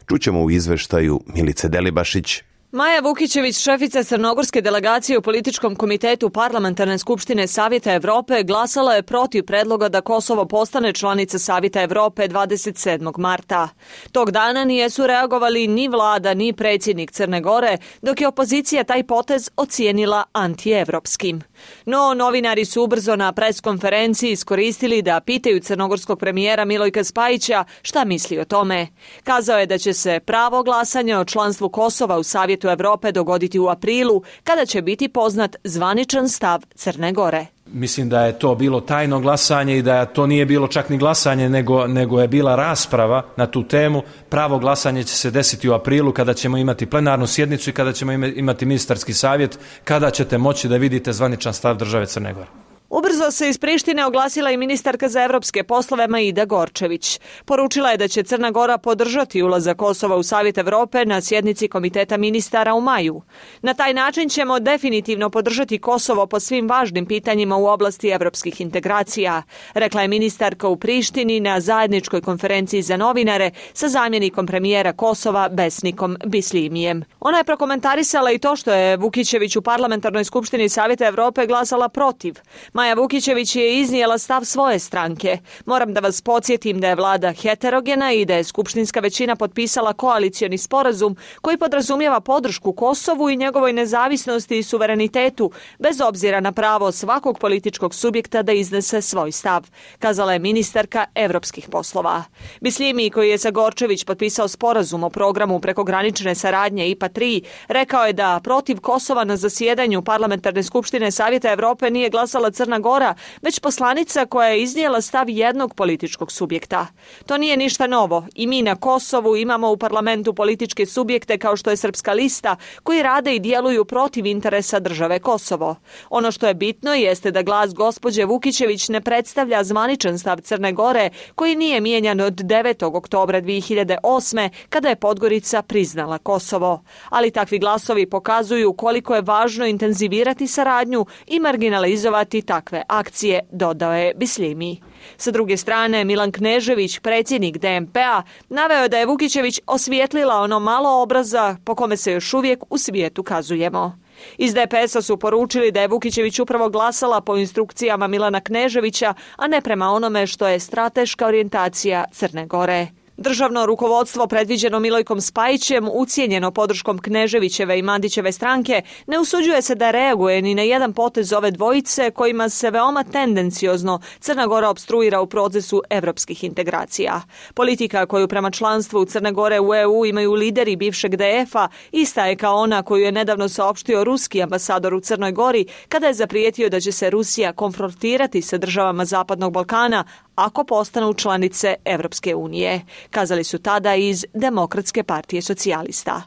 [SPEAKER 5] čućemo u izveštaju Milice Delibašić.
[SPEAKER 15] Maja Vukićević, šefica crnogorske delegacije u političkom komitetu Parlamentarne skupštine Savjeta Evrope, glasala je protiv predloga da Kosovo postane članica Savjeta Evrope 27. marta. Tog dana nisu reagovali ni vlada ni predsjednik Crne Gore, dok je opozicija taj potez ocijenila antievropskim. No, novinari su ubrzo na preskonferenciji iskoristili da pitaju crnogorskog premijera Milojka Spajića šta misli o tome. Kazao je da će se pravo glasanja o članstvu Kosova u Savjetu Evrope dogoditi u aprilu, kada će biti poznat zvaničan stav Crne Gore.
[SPEAKER 16] Mislim da je to bilo tajno glasanje i da to nije bilo čak ni glasanje, nego je bila rasprava na tu temu. Pravo glasanje će se desiti u aprilu, kada ćemo imati plenarnu sjednicu i kada ćemo imati ministarski savjet, kada ćete moći da vidite zvaničan stav države Crne Gore.
[SPEAKER 15] Ubrzo se iz Prištine oglasila i ministarka za evropske poslove Maida Gorčević. Poručila je da će Crna Gora podržati ulazak Kosova u Savjet Evrope na sjednici Komiteta ministara u maju. Na taj način ćemo definitivno podržati Kosovo po svim važnim pitanjima u oblasti evropskih integracija, rekla je ministarka u Prištini na zajedničkoj konferenciji za novinare sa zamjenikom premijera Kosova Besnikom Bislimijem. Ona je prokomentarisala i to što je Vukićević u Parlamentarnoj skupštini Savjeta Evrope glasala protiv. Maja Vukićević je iznijela stav svoje stranke. Moram da vas podsjetim da je vlada heterogena i da je skupštinska većina potpisala koalicioni sporazum koji podrazumijeva podršku Kosovu i njegovoj nezavisnosti i suverenitetu, bez obzira na pravo svakog političkog subjekta da iznese svoj stav, kazala je ministarka evropskih poslova. Bislimi, koji je sa Gorčević potpisao sporazum o programu prekogranične saradnje IPA 3, rekao je da protiv Kosova na zasjedanju Parlamentarne skupštine Savjeta Evrope nije glasala Crna Gora, već poslanica koja je iznijela stav jednog političkog subjekta. To nije ništa novo i mi na Kosovu imamo u parlamentu političke subjekte kao što je Srpska lista koji rade i djeluju protiv interesa države Kosovo. Ono što je bitno jeste da glas gospođe Vukićević ne predstavlja zvaničan stav Crne Gore koji nije mijenjan od 9. oktobra 2008. kada je Podgorica priznala Kosovo. Ali takvi glasovi pokazuju koliko je važno intenzivirati saradnju i marginalizovati takve akcije, dodao je Bislimi. Sa druge strane, Milan Knežević, predsjednik DMP-a, naveo je da je Vukićević osvijetlila ono malo obraza po kome se još uvijek u svijetu kazujemo. Iz DPS-a su poručili da je Vukićević upravo glasala po instrukcijama Milana Kneževića, a ne prema onome što je strateška orijentacija Crne Gore. Državno rukovodstvo predviđeno Milojkom Spajićem, ucijenjeno podrškom Kneževićeve i Mandićeve stranke, ne usuđuje se da reaguje ni na jedan potez ove dvojice kojima se veoma tendenciozno Crna Gora opstruira u procesu evropskih integracija. Politika koju prema članstvu Crne Gore u EU imaju lideri bivšeg DF-a ista je kao ona koju je nedavno saopštio ruski ambasador u Crnoj Gori kada je zaprijetio da će se Rusija konfrontirati sa državama Zapadnog Balkana ako postanu članice Evropske unije, kazali su tada iz Demokratske partije socijalista.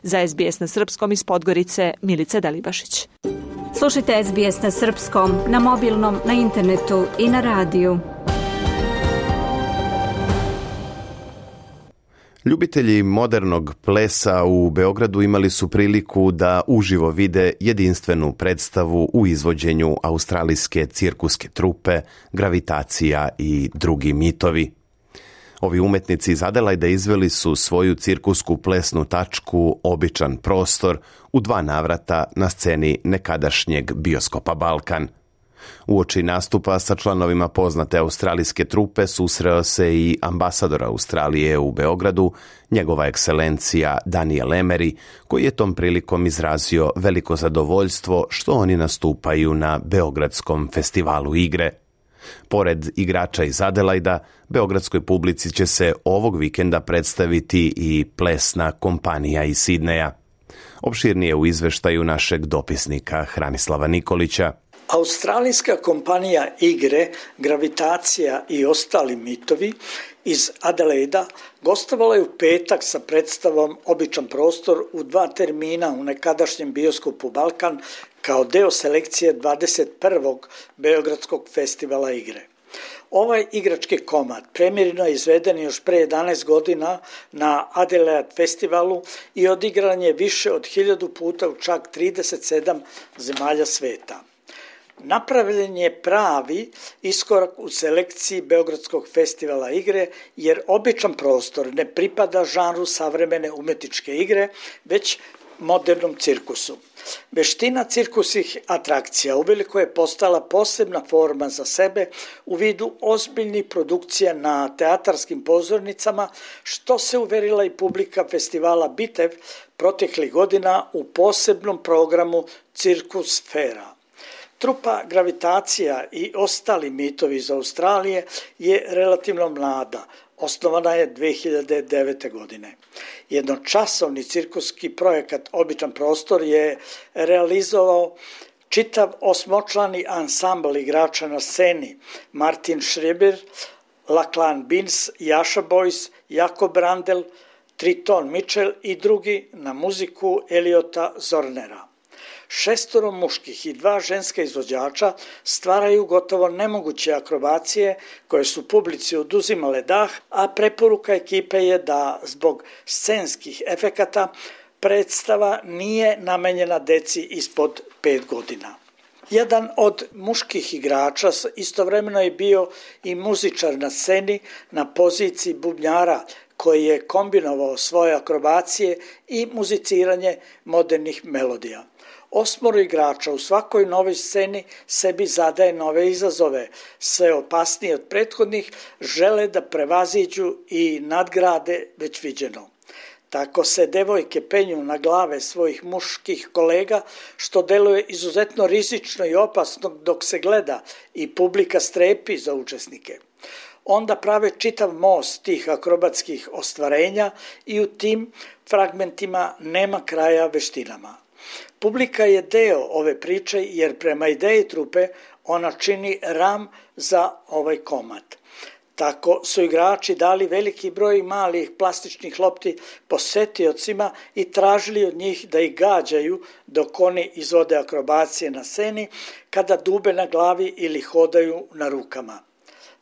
[SPEAKER 15] Za SBS na srpskom iz Podgorice, Milica Delibašić.
[SPEAKER 3] Slušajte SBS na srpskom, na mobilnom, na internetu i na radiju.
[SPEAKER 5] Ljubitelji modernog plesa u Beogradu imali su priliku da uživo vide jedinstvenu predstavu u izvođenju australijske cirkuske trupe, Gravitacija i drugi mitovi. Ovi umetnici iz Adelaida izveli su svoju cirkusku plesnu tačku Običan prostor u 2 navrata na sceni nekadašnjeg bioskopa Balkan. Uoči nastupa sa članovima poznate australijske trupe susreo se i ambasador Australije u Beogradu, njegova ekscelencija Daniel Emery, koji je tom prilikom izrazio veliko zadovoljstvo što oni nastupaju na Beogradskom festivalu igre. Pored igrača iz Adelaida, beogradskoj publici će se ovog vikenda predstaviti i plesna kompanija iz Sidneja. Opširnije u izveštaju našeg dopisnika Hranislava Nikolića.
[SPEAKER 17] Australijska kompanija igre, Gravitacija i ostali mitovi iz Adelaida gostovala je u petak sa predstavom Običan prostor u 2 termina u nekadašnjem bioskopu Balkan kao deo selekcije 21. Beogradskog festivala igre. Ovaj igrački komad premijerno je izveden još pre 11 godina na Adelaide festivalu i odigran je više od 1000 puta u čak 37 zemalja sveta. Napravljen je pravi iskorak u selekciji Beogradskog festivala igre, jer Običan prostor ne pripada žanru savremene umetničke igre, već modernom cirkusu. Veština cirkusnih atrakcija uveliko je postala posebna forma za sebe u vidu ozbiljnih produkcija na teatarskim pozornicama, što se uverila i publika festivala Bitev proteklih godina u posebnom programu Cirkus Fera. Trupa Gravitacija i ostali mitovi iz Australije je relativno mlada, osnovana je 2009. godine. Jednočasovni cirkuski projekat Običan prostor je realizovao čitav 8-člani ansambl igrača na sceni: Martin Schreiber, Lachlan Beans, Jaša Boys, Jakob Brandel, Triton Mitchell i drugi na muziku Eliota Zornera. 6 muških i 2 ženska izvođača stvaraju gotovo nemoguće akrobacije koje su publici oduzimale dah, a preporuka ekipe je da zbog scenskih efekata predstava nije namenjena deci ispod 5 godina. Jedan od muških igrača istovremeno je bio i muzičar na sceni na poziciji bubnjara koji je kombinovao svoje akrobacije i muziciranje modernih melodija. 8 igrača u svakoj novoj sceni sebi zadaje nove izazove, sve opasnije od prethodnih, žele da prevaziđu i nadgrade već viđeno. Tako se devojke penju na glave svojih muških kolega, što deluje izuzetno rizično i opasno dok se gleda i publika strepi za učesnike. Onda prave čitav most tih akrobatskih ostvarenja i u tim fragmentima nema kraja veštinama. Publika je deo ove priče jer prema ideji trupe ona čini ram za ovaj komad. Tako su igrači dali veliki broj malih plastičnih lopti posetiocima i tražili od njih da ih gađaju dok oni izvode akrobacije na sceni, kada dube na glavi ili hodaju na rukama.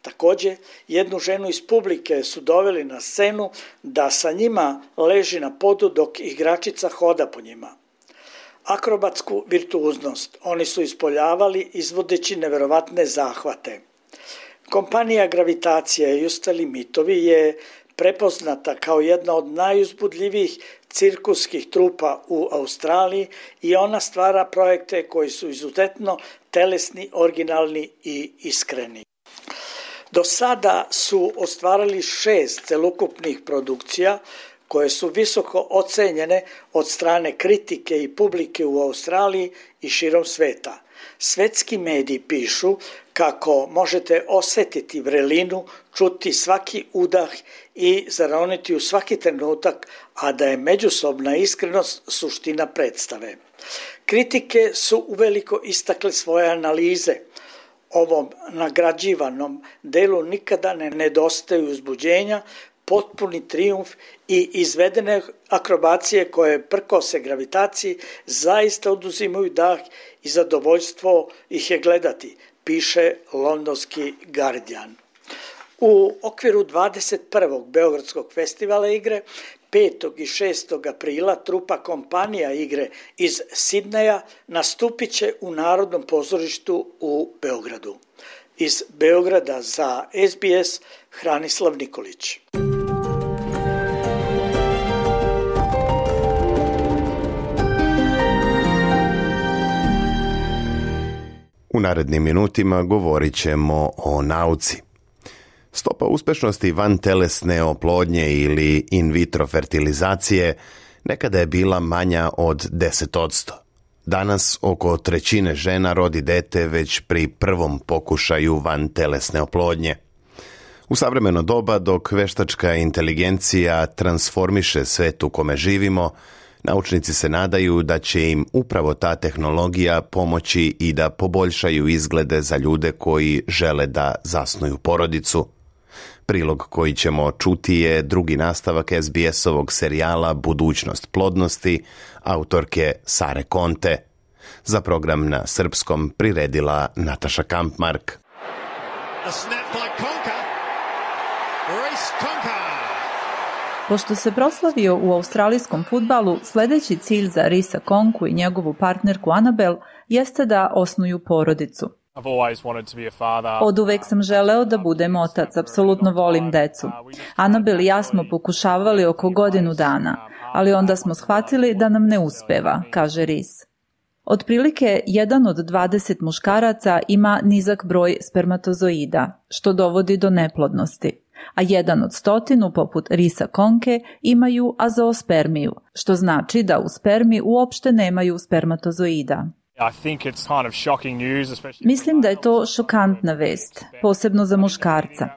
[SPEAKER 17] Također, jednu ženu iz publike su doveli na scenu da sa njima leži na podu dok igračica hoda po njima. Akrobatsku virtuoznost oni su ispoljavali izvodeći neverovatne zahvate. Kompanija Gravitacija i ostali mitovi je prepoznata kao jedna od najuzbudljivijih cirkuskih trupa u Australiji i ona stvara projekte koji su izuzetno telesni, originalni i iskreni. Do sada su ostvarili 6 celokupnih produkcija koje su visoko ocenjene od strane kritike i publike u Australiji i širom sveta. Svetski mediji pišu kako možete osjetiti vrelinu, čuti svaki udah i zaroniti u svaki trenutak, a da je međusobna iskrenost suština predstave. Kritike su uveliko istakle svoje analize. Ovom nagrađivanom delu nikada ne nedostaju uzbuđenja, potpuni trijumf i izvedene akrobacije koje prkose gravitaciji zaista oduzimaju dah i zadovoljstvo ih je gledati, piše londonski Guardian. U okviru 21. Beogradskog festivala igre 5. i 6. aprila trupa Kompanija igre iz Sidneja nastupit će u Narodnom pozorištu u Beogradu. Iz Beograda za SBS Hranislav Nikolić.
[SPEAKER 5] U narednim minutima govorit ćemo o nauci. Stopa uspešnosti vantelesne oplodnje ili in vitro fertilizacije nekada je bila manja od 10%. Danas oko 1/3 žena rodi dete već pri prvom pokušaju vantelesne oplodnje. U savremeno doba, dok veštačka inteligencija transformiše svet u kome živimo, naučnici se nadaju da će im upravo ta tehnologija pomoći i da poboljšaju izglede za ljude koji žele da zasnuju porodicu. Prilog koji ćemo čuti je drugi nastavak SBS-ovog serijala Budućnost plodnosti, autorke Sare Conte. Za program na srpskom priredila Nataša Kampmark.
[SPEAKER 10] Pošto se proslavio u australijskom fudbalu, sljedeći cilj za Risa Konku i njegovu partnerku Annabel jeste da osnuju porodicu. Oduvek sam želeo da budem otac, apsolutno volim decu. Annabel i ja smo pokušavali oko godinu dana, ali onda smo shvatili da nam ne uspeva, kaže Ris. Otprilike 1 od 20 muškaraca ima nizak broj spermatozoida, što dovodi do neplodnosti, a 1 od 100, poput Risa Konke, imaju azoospermiju, što znači da u spermi uopšte nemaju spermatozoida. Mislim da je to šokantna vest, posebno za muškarca.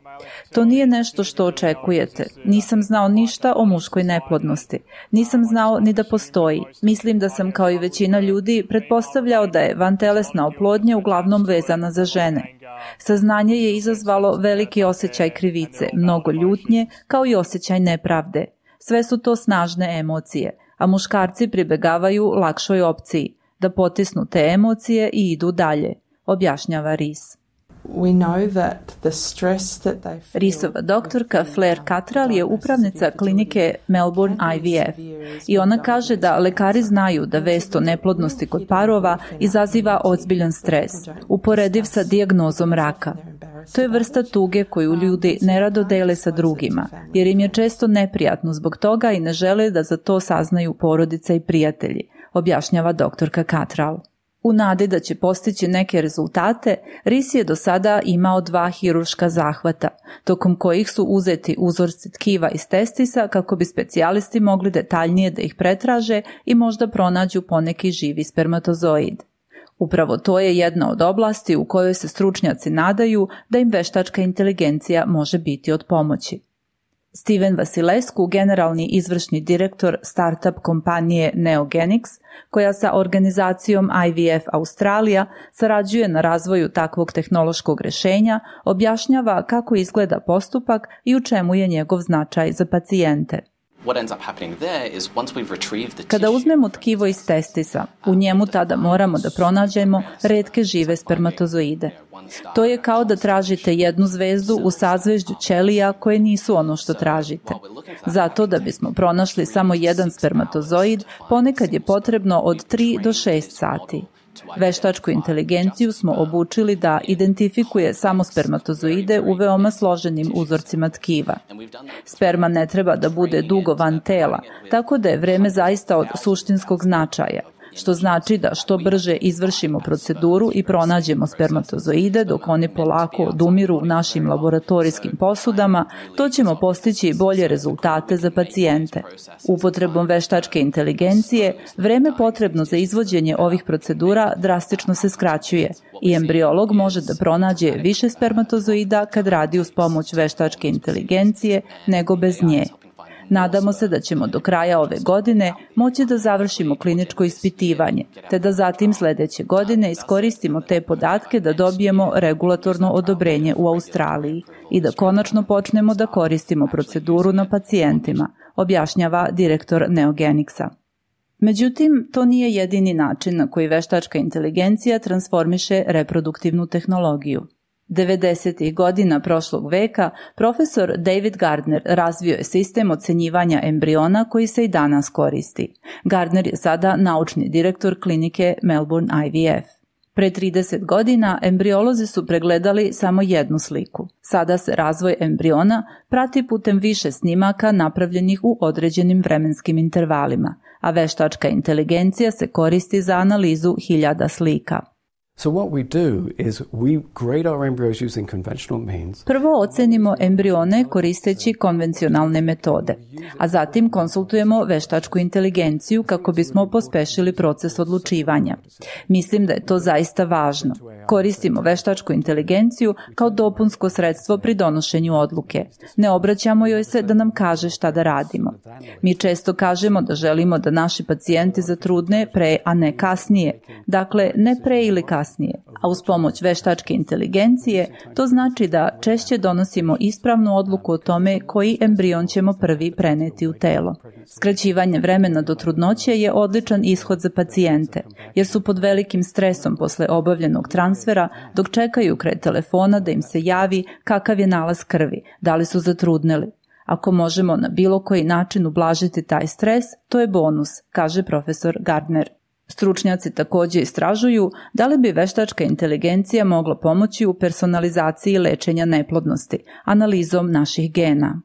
[SPEAKER 10] To nije nešto što očekujete. Nisam znao ništa o muškoj neplodnosti. Nisam znao ni da postoji. Mislim da sam, kao i većina ljudi, pretpostavljao da je vantelesna oplodnja uglavnom vezana za žene. Saznanje je izazvalo veliki osjećaj krivice, mnogo ljutnje, kao i osjećaj nepravde. Sve su to snažne emocije, a muškarci pribegavaju lakšoj opciji, da potisnu te emocije i idu dalje, objašnjava Rees. Reesova doktorka Claire Cattrall je upravnica klinike Melbourne IVF i ona kaže da lekari znaju da vest o neplodnosti kod parova izaziva ozbiljan stres, uporediv sa dijagnozom raka. To je vrsta tuge koju ljudi nerado dele sa drugima, jer im je često neprijatno zbog toga i ne žele da za to saznaju porodica i prijatelji, objašnjava doktorka Cattrall. U nadi da će postići neke rezultate, Rees je do sada imao 2 hirurška zahvata, tokom kojih su uzeti uzorci tkiva iz testisa kako bi specijalisti mogli detaljnije da ih pretraže i možda pronađu poneki živi spermatozoid. Upravo to je jedna od oblasti u kojoj se stručnjaci nadaju da im veštačka inteligencija može biti od pomoći. Steven Vasilescu, generalni izvršni direktor startup kompanije Neogenix, koja sa organizacijom IVF Australija sarađuje na razvoju takvog tehnološkog rešenja, objašnjava kako izgleda postupak i u čemu je njegov značaj za pacijente. Kada uzmemo tkivo iz testisa, u njemu tada moramo da pronađemo retke žive spermatozoide. To je kao da tražite jednu zvezdu u sazvežđu ćelija koje nisu ono što tražite. Zato da bismo pronašli samo jedan spermatozoid, ponekad je potrebno od 3 do 6 sati. Veštačku inteligenciju smo obučili da identifikuje samo spermatozoide u veoma složenim uzorcima tkiva. Sperma ne treba da bude dugo van tela, tako da je vreme zaista od suštinskog značaja, što znači da što brže izvršimo proceduru i pronađemo spermatozoide dok oni polako odumiru u našim laboratorijskim posudama, to ćemo postići bolje rezultate za pacijente. Upotrebom veštačke inteligencije, vreme potrebno za izvođenje ovih procedura drastično se skraćuje i embriolog može da pronađe više spermatozoida kad radi uz pomoć veštačke inteligencije nego bez nje. Nadamo se da ćemo do kraja ove godine moći da završimo kliničko ispitivanje, te da zatim sledeće godine iskoristimo te podatke da dobijemo regulatorno odobrenje u Australiji i da konačno počnemo da koristimo proceduru na pacijentima, objašnjava direktor Neogenixa. Međutim, to nije jedini način na koji veštačka inteligencija transformiše reproduktivnu tehnologiju. 90. godina prošlog veka profesor David Gardner razvio je sistem ocenjivanja embriona koji se i danas koristi. Gardner je sada naučni direktor klinike Melbourne IVF. Pre 30 godina embriolozi su pregledali samo jednu sliku. Sada se razvoj embriona prati putem više snimaka napravljenih u određenim vremenskim intervalima, a veštačka inteligencija se koristi za analizu 1000 slika.
[SPEAKER 18] So what we do is we grade our embryos using conventional means.
[SPEAKER 10] Prvo ocenimo embrione koristeći konvencionalne metode, a zatim konsultujemo veštačku inteligenciju kako bismo pospešili proces odlučivanja. Mislim da je to zaista važno. Koristimo veštačku inteligenciju kao dopunsko sredstvo pri donošenju odluke. Ne obraćamo joj se da nam kaže šta da radimo. Mi često kažemo da želimo da naši pacijenti zatrudne pre, a ne kasnije. Dakle, ne pre ili kasnije, a uz pomoć veštačke inteligencije to znači da češće donosimo ispravnu odluku o tome koji embrion ćemo prvi preneti u telo. Skraćivanje vremena do trudnoće je odličan ishod za pacijente, jer su pod velikim stresom posle obavljenog transfera dok čekaju kraj telefona da im se javi kakav je nalaz krvi, da li su zatrudneli. Ako možemo na bilo koji način ublažiti taj stres, to je bonus, kaže profesor Gardner. Stručnjaci također istražuju da li bi veštačka inteligencija mogla pomoći u personalizaciji lečenja neplodnosti, analizom naših gena.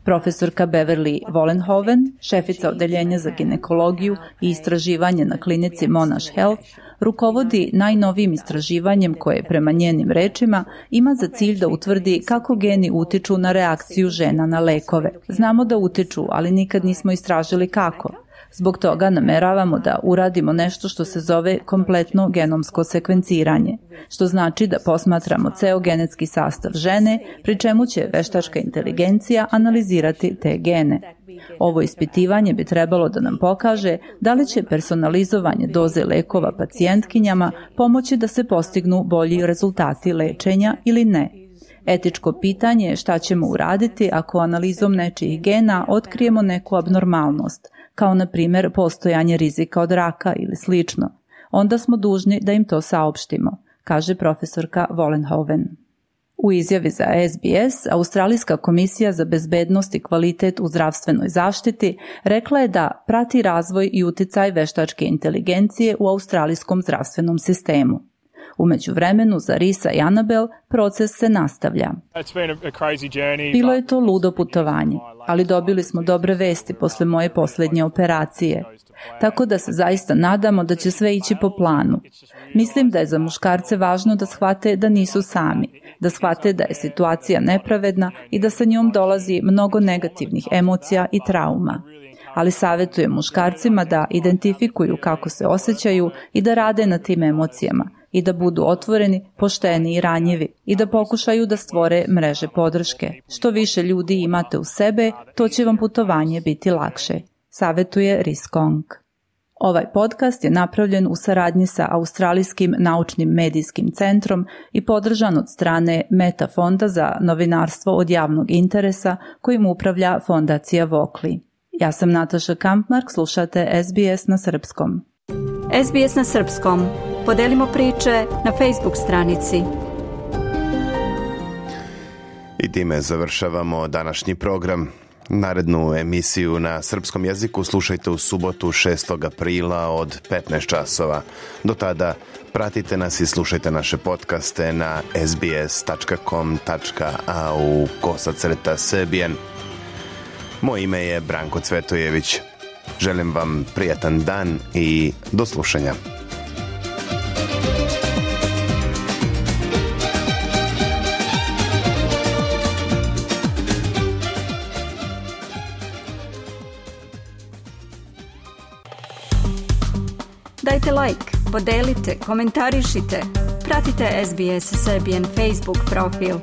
[SPEAKER 10] Profesorka Beverly Vollenhoven, šefica odeljenja za ginekologiju i istraživanje na klinici Monash Health, rukovodi najnovijim istraživanjem koje, prema njenim rečima, ima za cilj da utvrdi kako geni utiču na reakciju žena na lekove. Znamo da utiču, ali nikad nismo istražili kako. Zbog toga nameravamo da uradimo nešto što se zove kompletno genomsko sekvenciranje, što znači da posmatramo ceo genetski sastav žene, pri čemu će veštačka inteligencija analizirati te gene. Ovo ispitivanje bi trebalo da nam pokaže da li će personalizovanje doze lekova pacijentkinjama pomoći da se postignu bolji rezultati lečenja ili ne. Etičko pitanje je šta ćemo uraditi ako analizom nečijih gena otkrijemo neku abnormalnost, kao na primjer postojanje rizika od raka ili slično, onda smo dužni da im to saopštimo, kaže profesorka Vollenhoven. U izjavi za SBS, Australijska komisija za bezbednost i kvalitet u zdravstvenoj zaštiti rekla je da prati razvoj i uticaj veštačke inteligencije u australijskom zdravstvenom sistemu. U međuvremenu za Risa i Annabel proces se nastavlja. Bilo je to ludo putovanje, ali dobili smo dobre vesti posle moje posljednje operacije. Tako da se zaista nadamo da će sve ići po planu. Mislim da je za muškarce važno da shvate da nisu sami, da shvate da je situacija nepravedna i da sa njom dolazi mnogo negativnih emocija i trauma. Ali savjetujem muškarcima da identifikuju kako se osjećaju i da rade na tim emocijama i da budu otvoreni, pošteni i ranjivi i da pokušaju da stvore mreže podrške. Što više ljudi imate u sebe, to će vam putovanje biti lakše, savjetuje Rhys Kong. Ovaj podcast je napravljen u saradnji sa Australijskim naučnim medijskim centrom i podržan od strane Meta fonda za novinarstvo od javnog interesa kojim upravlja fondacija Vokli. Ja sam Nataša Kampmark, slušate SBS na srpskom.
[SPEAKER 3] SBS na srpskom. Podelimo priče na Facebook stranici.
[SPEAKER 5] I time završavamo današnji program. Narednu emisiju na srpskom jeziku slušajte u subotu 6. aprila od 15 časova. Do tada pratite nas i slušajte naše podcaste na sbs.com.au/srbijen. Moje ime je Branko Cvetojević. Želim vam prijatan dan i do slušanja.
[SPEAKER 3] Dajte like, podelite, komentarišite. Pratite SBS Serbian Facebook profil.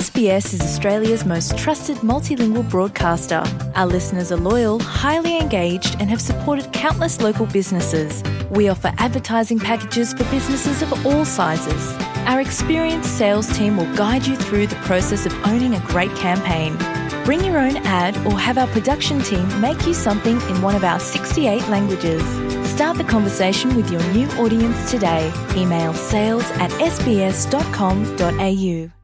[SPEAKER 2] SBS is Australia's most trusted multilingual broadcaster. Our listeners are loyal, highly engaged, and have supported countless local businesses. We offer advertising packages for businesses of all sizes. Our experienced sales team will guide you through the process of owning a great campaign. Bring your own ad or have our production team make you something in one of our 68 languages. Start the conversation with your new audience today. Email sales@sbs.com.au.